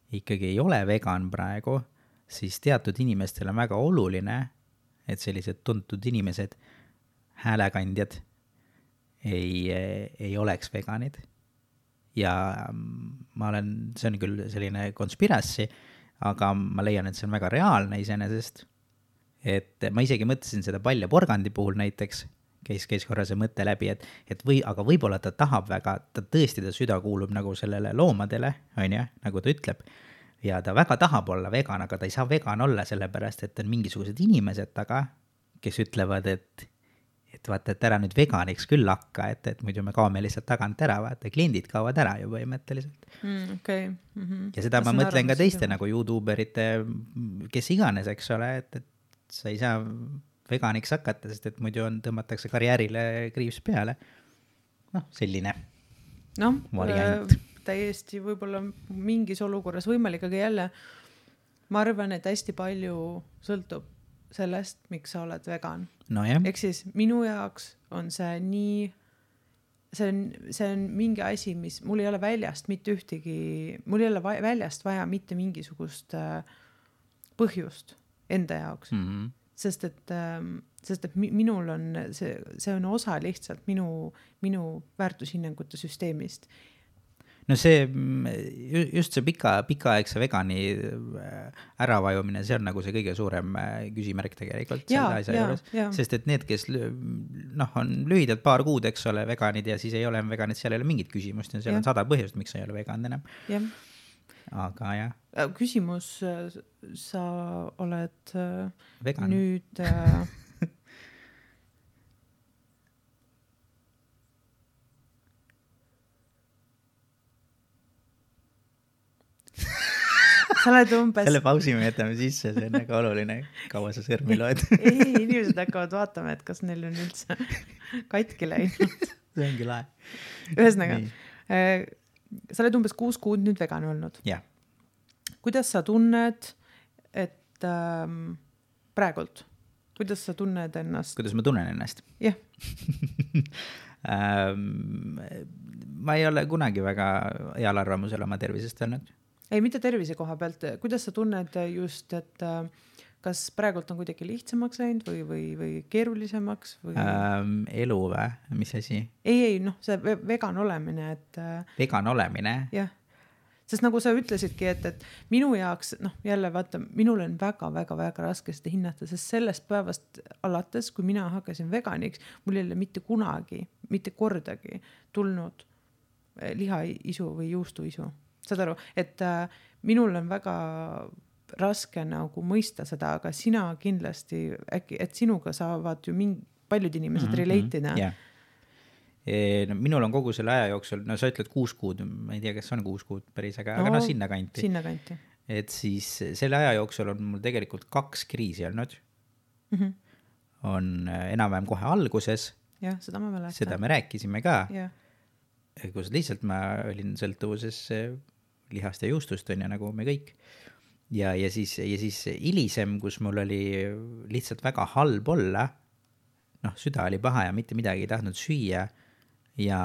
ikkagi ei ole vegan praegu, siis teatud inimestel on väga oluline, et sellised tuntud inimesed, häälekandjad ei oleks veganid. Ja see on küll selline konspirassi, aga ma leian, et see on väga reaalne iseenesest. Et ma isegi mõtlesin seda Palja Porgandi puhul näiteks, käis korra see mõte läbi, aga võib-olla ta tahab väga, ta süda kuulub nagu sellele loomadele, on ju, nagu ta ütleb, ja ta väga tahab olla vegan, aga ta ei saa vegan olla sellepärast, et on mingisugused inimesed taga, kes ütlevad, et vaata, et ära nüüd veganiks küll hakka, et muidu me kaome lihtsalt tagant ära, vaata, kliendid kaovad ära ju põhimõtteliselt. Okay. Ja seda ma mõtlen ka teiste nagu YouTuberite, kes iganes, eks ole, et sa ei saa veganiks hakata, sest et muidu tõmmatakse karjäärile kriips peale. Selline variant. Täiesti võib-olla mingis olukorras võimalik, aga jälle ma arvan, et hästi palju sõltub sellest, miks sa oled vegan. No jah. Ehk siis minu jaoks on see nii, see on mingi asi, mis mul ei ole väljast mitte ühtegi, mul ei ole väljast vaja mitte mingisugust põhjust enda jaoks. Sest et minul on see on osa lihtsalt minu väärtushinnangute süsteemist. No see, just see pikaaegse vegani äravajumine, see on nagu see kõige suurem küsimärk tegelikult selle asja juures. Sest et need, kes on lühidalt paar kuud, eks ole, veganid ja siis ei ole veganid, seal ei ole mingit küsimust ja seal on 100 põhjust, miks sa ei ole vegan enam. Aga jah. Küsimus, sa oled vegan. Nüüd sa oled umbes selle pausi me jätame sisse, see on väga oluline, kaua sa sõrmi loed. Ei, inimesed hakkavad vaatama, et kas neil on üldse katki läinud. See ongi lahe. Ühesõnaga, sa oled umbes 6 kuud nüüd vegan olnud. Jah. Kuidas sa tunned, et praegult, kuidas sa tunned ennast? Kuidas ma tunnen ennast? Jah. Ma ei ole kunagi väga heal arvamusel oma tervisest olnud. Ei, mitte tervise koha pealt. Kuidas sa tunned just, et kas praegult on kuidagi lihtsamaks läinud või keerulisemaks? Või... elu või? Mis asi? Ei, see vegan olemine. Et... Vegan olemine? Jah. sest nagu sa ütlesidki, et minu jaoks, noh jälle vaata, minul on väga raske seda hinnata, sest sellest päevast alates, kui mina hakkasin veganiks, mul ei ole mitte kunagi, mitte kordagi tulnud lihaisu või juustuisu. Saad aru, et minul on väga raske nagu mõista seda, aga sina kindlasti äkki, et sinuga saavad ju paljud inimesed relate ida. Yeah. No, minul on kogu selle aja jooksul, no sa ütled 6 kuud, ma ei tea, kas on 6 kuud päris, aga no sinna kanti. Et siis selle aja jooksul on mul tegelikult 2 kriisi olnud. On enam-vähem kohe alguses. Jah, seda ma mäletan. Seda me rääkisime ka. Ja. Kus lihtsalt ma olin sõltuvuses lihast ja juustust, on ja nagu me kõik. Ja siis hilisem, kus mul oli lihtsalt väga halb olla, noh, süda oli paha ja mitte midagi ei tahtnud süüa ja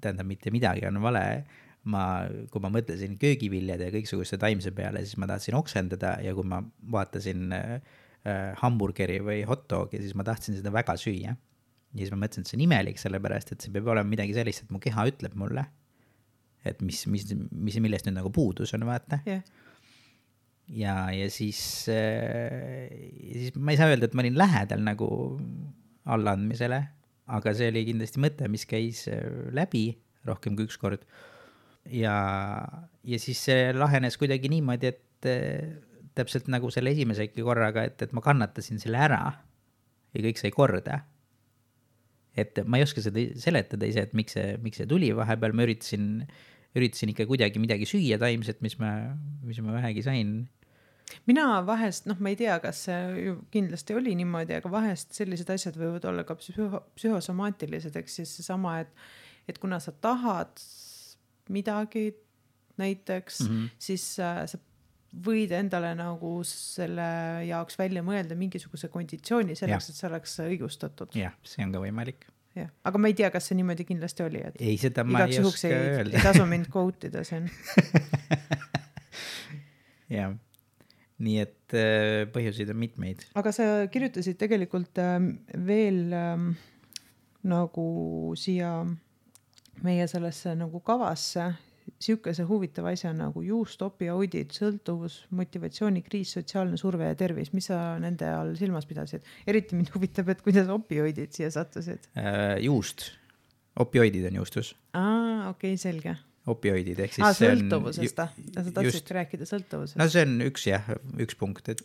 tähendab, mitte midagi on vale. Kui ma mõtlesin köögiviljade ja kõiksuguste taimse peale, siis ma tahtsin oksendada ja kui ma vaatasin hamburgeri või hot dogi, siis ma tahtsin seda väga süüa. Ja siis ma mõtlesin, et see on imelik, sellepärast, et see peab olema midagi sellist, et mu keha ütleb mulle, et millest nüüd nagu puudus on, vaata. Yeah. Ja siis ma ei saa öelda, et ma olin lähedal nagu allaandmisele, aga see oli kindlasti mõte, mis käis läbi rohkem kui üks kord. Ja siis see lahenes kuidagi niimoodi, et täpselt nagu selle esimesegi korraga, et ma kannatasin selle ära ja kõik sai korda. Et ma ei oska seda seletada ise, et miks see tuli vahepeal, ma üritasin ikka kuidagi midagi süüa taimset, mis ma vähegi sain. Mina vahest, noh, ma ei tea, kas see ju kindlasti oli niimoodi, aga vahest sellised asjad võivad olla ka psühhosomaatilised, eks siis seesama, et kuna sa tahad midagi näiteks, siis sa võid endale nagu selle jaoks välja mõelda mingisuguse konditsiooni selleks, et see oleks õigustatud. Jah, see on ka võimalik. Ja. Aga ma ei tea, kas see niimoodi kindlasti oli, et ei, seda ma ei oska öelda. Ei tasu mind quote'ida siin. Jah. Nii et põhjuseid on mitmeid. Aga sa kirjutasid tegelikult veel nagu siia meie sellesse nagu kavasse siukese huvitava asja nagu juust, opioidid, sõltuvus, motivatsioonikriis, sotsiaalne surve ja tervis. Mis sa nende all silmas pidasid? Eriti mind huvitab, et kuidas opioidid siia sattusid? Juust. Opioidid on juustus. Okei, selge. Opioidid, ehk siis sõltuvusest. Sa tahtsid rääkida sõltuvusest. No see on üks punkt, et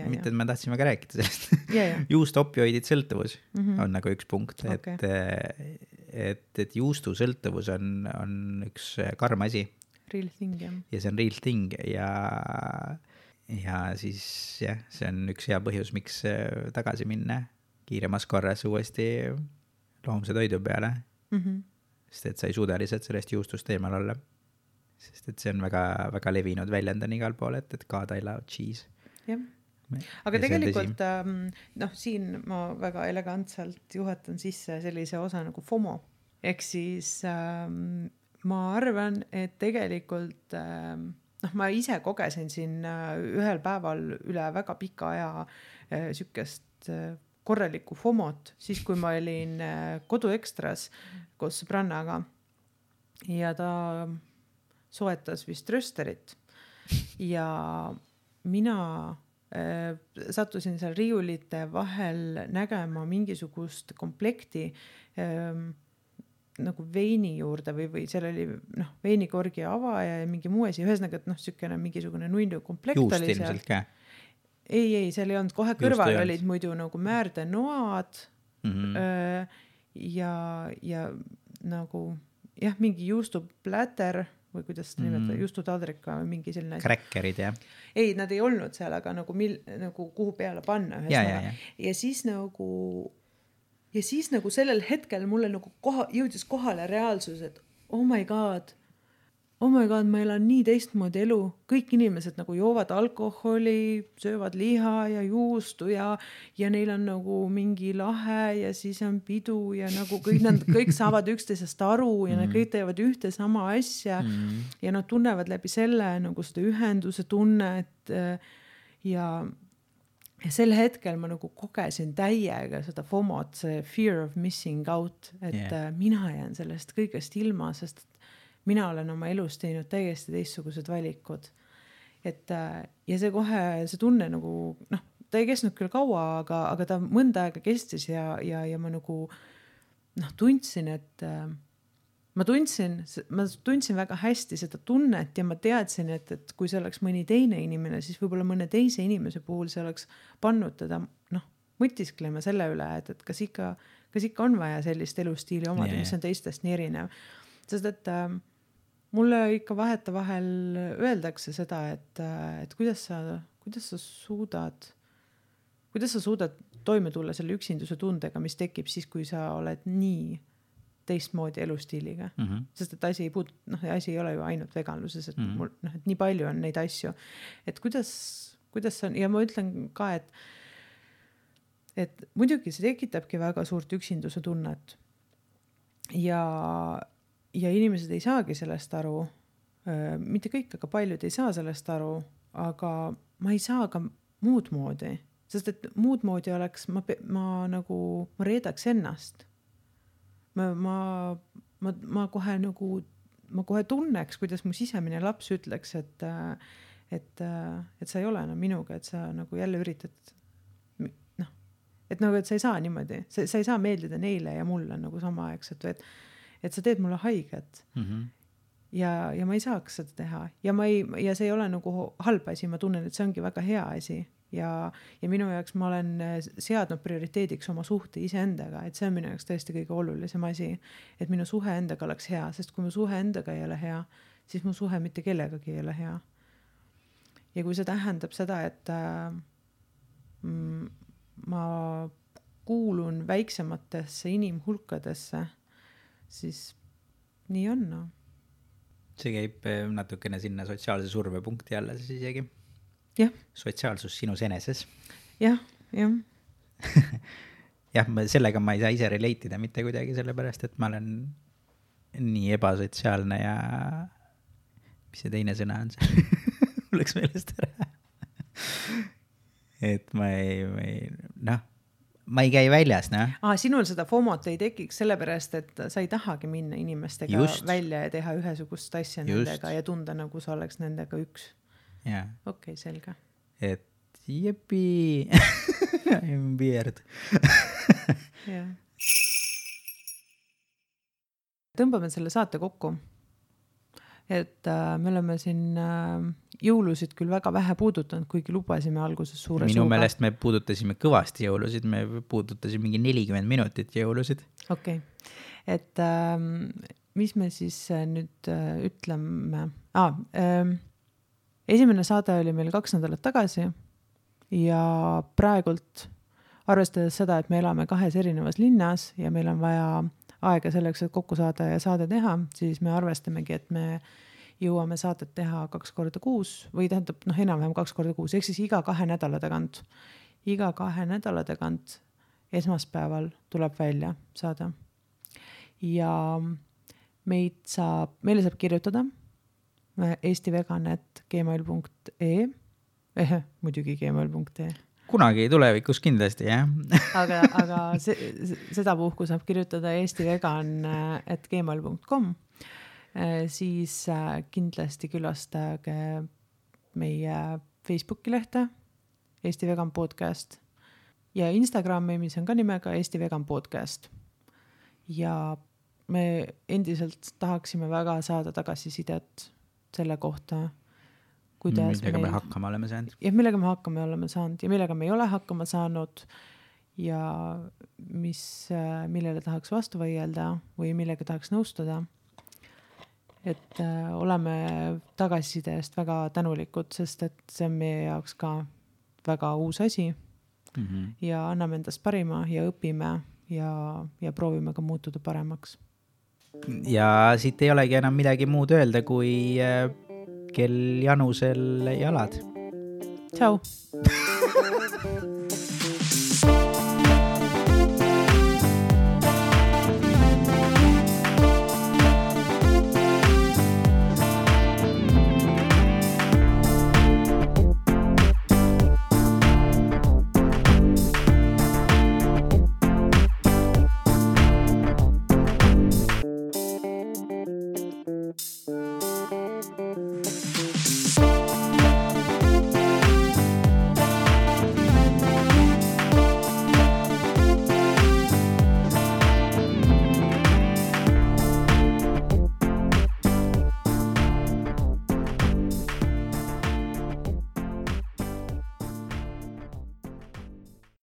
mitte, et ma tahtsin väga rääkida sellest. Juust, opioidid, sõltuvus on nagu üks punkt, et juustu sõltuvus on üks karm asi. Real thing, jah. Ja see on real thing ja siis jah, see on üks hea põhjus, miks tagasi minna kiiremas korras uuesti loomse toidu peale. Sest et sa ei suuda lihtsalt sellest juustust eemal olla. Sest et see on väga, väga levinud väljend on igal pool, et God I love cheese. Jah. Aga tegelikult, siin ma väga elegantselt juhatan sisse sellise osa nagu FOMO. Ehk siis ma arvan, et tegelikult, ma ise kogesin siin ühel päeval üle väga pika aja sükest korralikku FOMOt, siis kui ma olin koduekstras koos sõbrannaga ja ta soetas vist rösterit ja mina sattusin seal riiulite vahel nägema mingisugust komplekti nagu veini juurde või seal oli veinikorgi avaja ja mingi muu asi, ühesõnaga, et sükene mingisugune nunnu komplekt juust oli seal. Ilmselt ka. Ei, seal ei olnud, kohe kõrval olid muidu nagu määrde-noad ja nagu mingi juustupläter või kuidas seda nimetada, juustutadrika või mingi selline asi. Kräkkerid, jah. Ei, nad ei olnud seal, aga nagu kuhu peale panna. Ja siis nagu sellel hetkel mulle nagu jõudis kohale reaalsus, et oh my god, ma elan nii teistmoodi elu. Kõik inimesed nagu joovad alkoholi, söövad liha ja juustu ja neil on nagu mingi lahe ja siis on pidu ja nagu kõik saavad üksteisest aru ja nad kõik teevad ühte sama asja ja nad tunnevad läbi selle nagu seda ühenduse tunnet ja sel hetkel ma nagu kogesin täiega seda FOMOt, see fear of missing out, et mina jään sellest kõigest ilma, sest mina olen oma elus teinud täiesti teistsugused valikud. Et ja see kohe, see tunne nagu, noh, ta ei kestnud küll kaua, aga ta mõnda aega kestis ja ma nagu, noh, tundsin, et ma tundsin väga hästi seda tunnet ja ma teadsin, et kui see oleks mõni teine inimene, siis võib-olla mõne teise inimese puhul see oleks pannud teda, noh, mõtisklema selle üle, et kas ikka on vaja sellist elustiili omada, mis on teistest nii erinev. Sest et mulle ikka vahetevahel öeldakse seda, et kuidas sa suudad toime tulla selle üksinduse tundega, mis tekib siis, kui sa oled nii teistmoodi elustiiliga. Sest et asi ei ole ju ainult veganluses, et, et nii palju on neid asju. Et kuidas on, ja ma ütlen ka, et muidugi see tekitabki väga suurt üksinduse tunnet. Ja inimesed ei saagi sellest aru, mitte kõik, aga paljud ei saa sellest aru, aga ma ei saa ka muud moodi, sest et muud moodi oleks, ma reedaks ennast. Ma kohe tunneks, kuidas mu sisemine laps ütleks, et sa ei ole enam minuga, et sa nagu jälle üritad, noh, et sa ei saa niimoodi, sa ei saa meeldida neile ja mulle nagu samaaegselt, et sa teed mulle haiget. Ja ma ei saaks seda teha ja see ei ole nagu halb asi, ma tunnen, et see ongi väga hea asi ja minu jaoks ma olen seadnud prioriteediks oma suhte iseendaga, et see on minu jaoks tõesti kõige olulisem asi, et minu suhe endaga oleks hea, sest kui mu suhe endaga ei ole hea, siis mu suhe mitte kellegagi ei ole hea. Ja kui see tähendab seda, et ma kuulun väiksematesse inimhulkadesse, siis nii on, no. See käib natukene sinna sotsiaalse survepunkti alla siis isegi. Jah. Sotsiaalsus sinus eneses. Jah. Jah, sellega ma ei saa ise relatida mitte kuidagi, sellepärast, et ma olen nii ebasotsiaalne ja mis see teine sõna on see? Mul läks meelest ära. Et ma ei käi väljas, noh. Sinul seda FOMOt ei tekiks sellepärast, et sa ei tahagi minna inimestega välja ja teha ühesugust asja nendega ja tunda, nagu sa oleks nendega üks. Okei, selge. Et jepi, I'm weird. Tõmbame selle saate kokku. Et me oleme siin jõulusid küll väga vähe puudutanud, kuigi lubasime alguses suure Minu meelest me puudutasime kõvasti jõulusid, me puudutasime mingi 40 minutit jõulusid. Okei. Et mis me siis nüüd ütleme? Esimene saade oli meil 2 nädalat tagasi ja praegult arvestades seda, et me elame 2 erinevas linnas ja meil on vaja aega selleks, et kokku saada ja saade teha, siis me arvestamegi, et me jõuame saadet teha 2 korda kuus või tähendab, enam-vähem 2 korda kuus, ehk siis iga 2 nädala tagant. Iga 2 nädala tagant esmaspäeval tuleb välja saade. Ja meile saab kirjutada eestivegan@gmail.ee muidugi gmail.ee Kunagi tulevikus kindlasti, jah. aga seda puhku saab kirjutada eestivegan@gmail.com siis kindlasti külastage meie Facebooki lehte Eesti Vegan Podcast ja Instagrami, mis on ka nimega Eesti Vegan Podcast. Ja me endiselt tahaksime väga saada tagasisidet selle kohta, kuidas millega me hakkama oleme saanud. Ja millega me hakkama oleme saanud ja millega me ei ole hakkama saanud ja millele tahaks vastu võielda või millega tahaks nõustuda. Et oleme tagasiside eest väga tänulikud, sest et see on meie jaoks ka väga uus asi ja anname endast parima ja õpime ja proovime ka muutuda paremaks. Ja siit ei olegi enam midagi muud öelda, kui kell Janusel jalad. Tšau!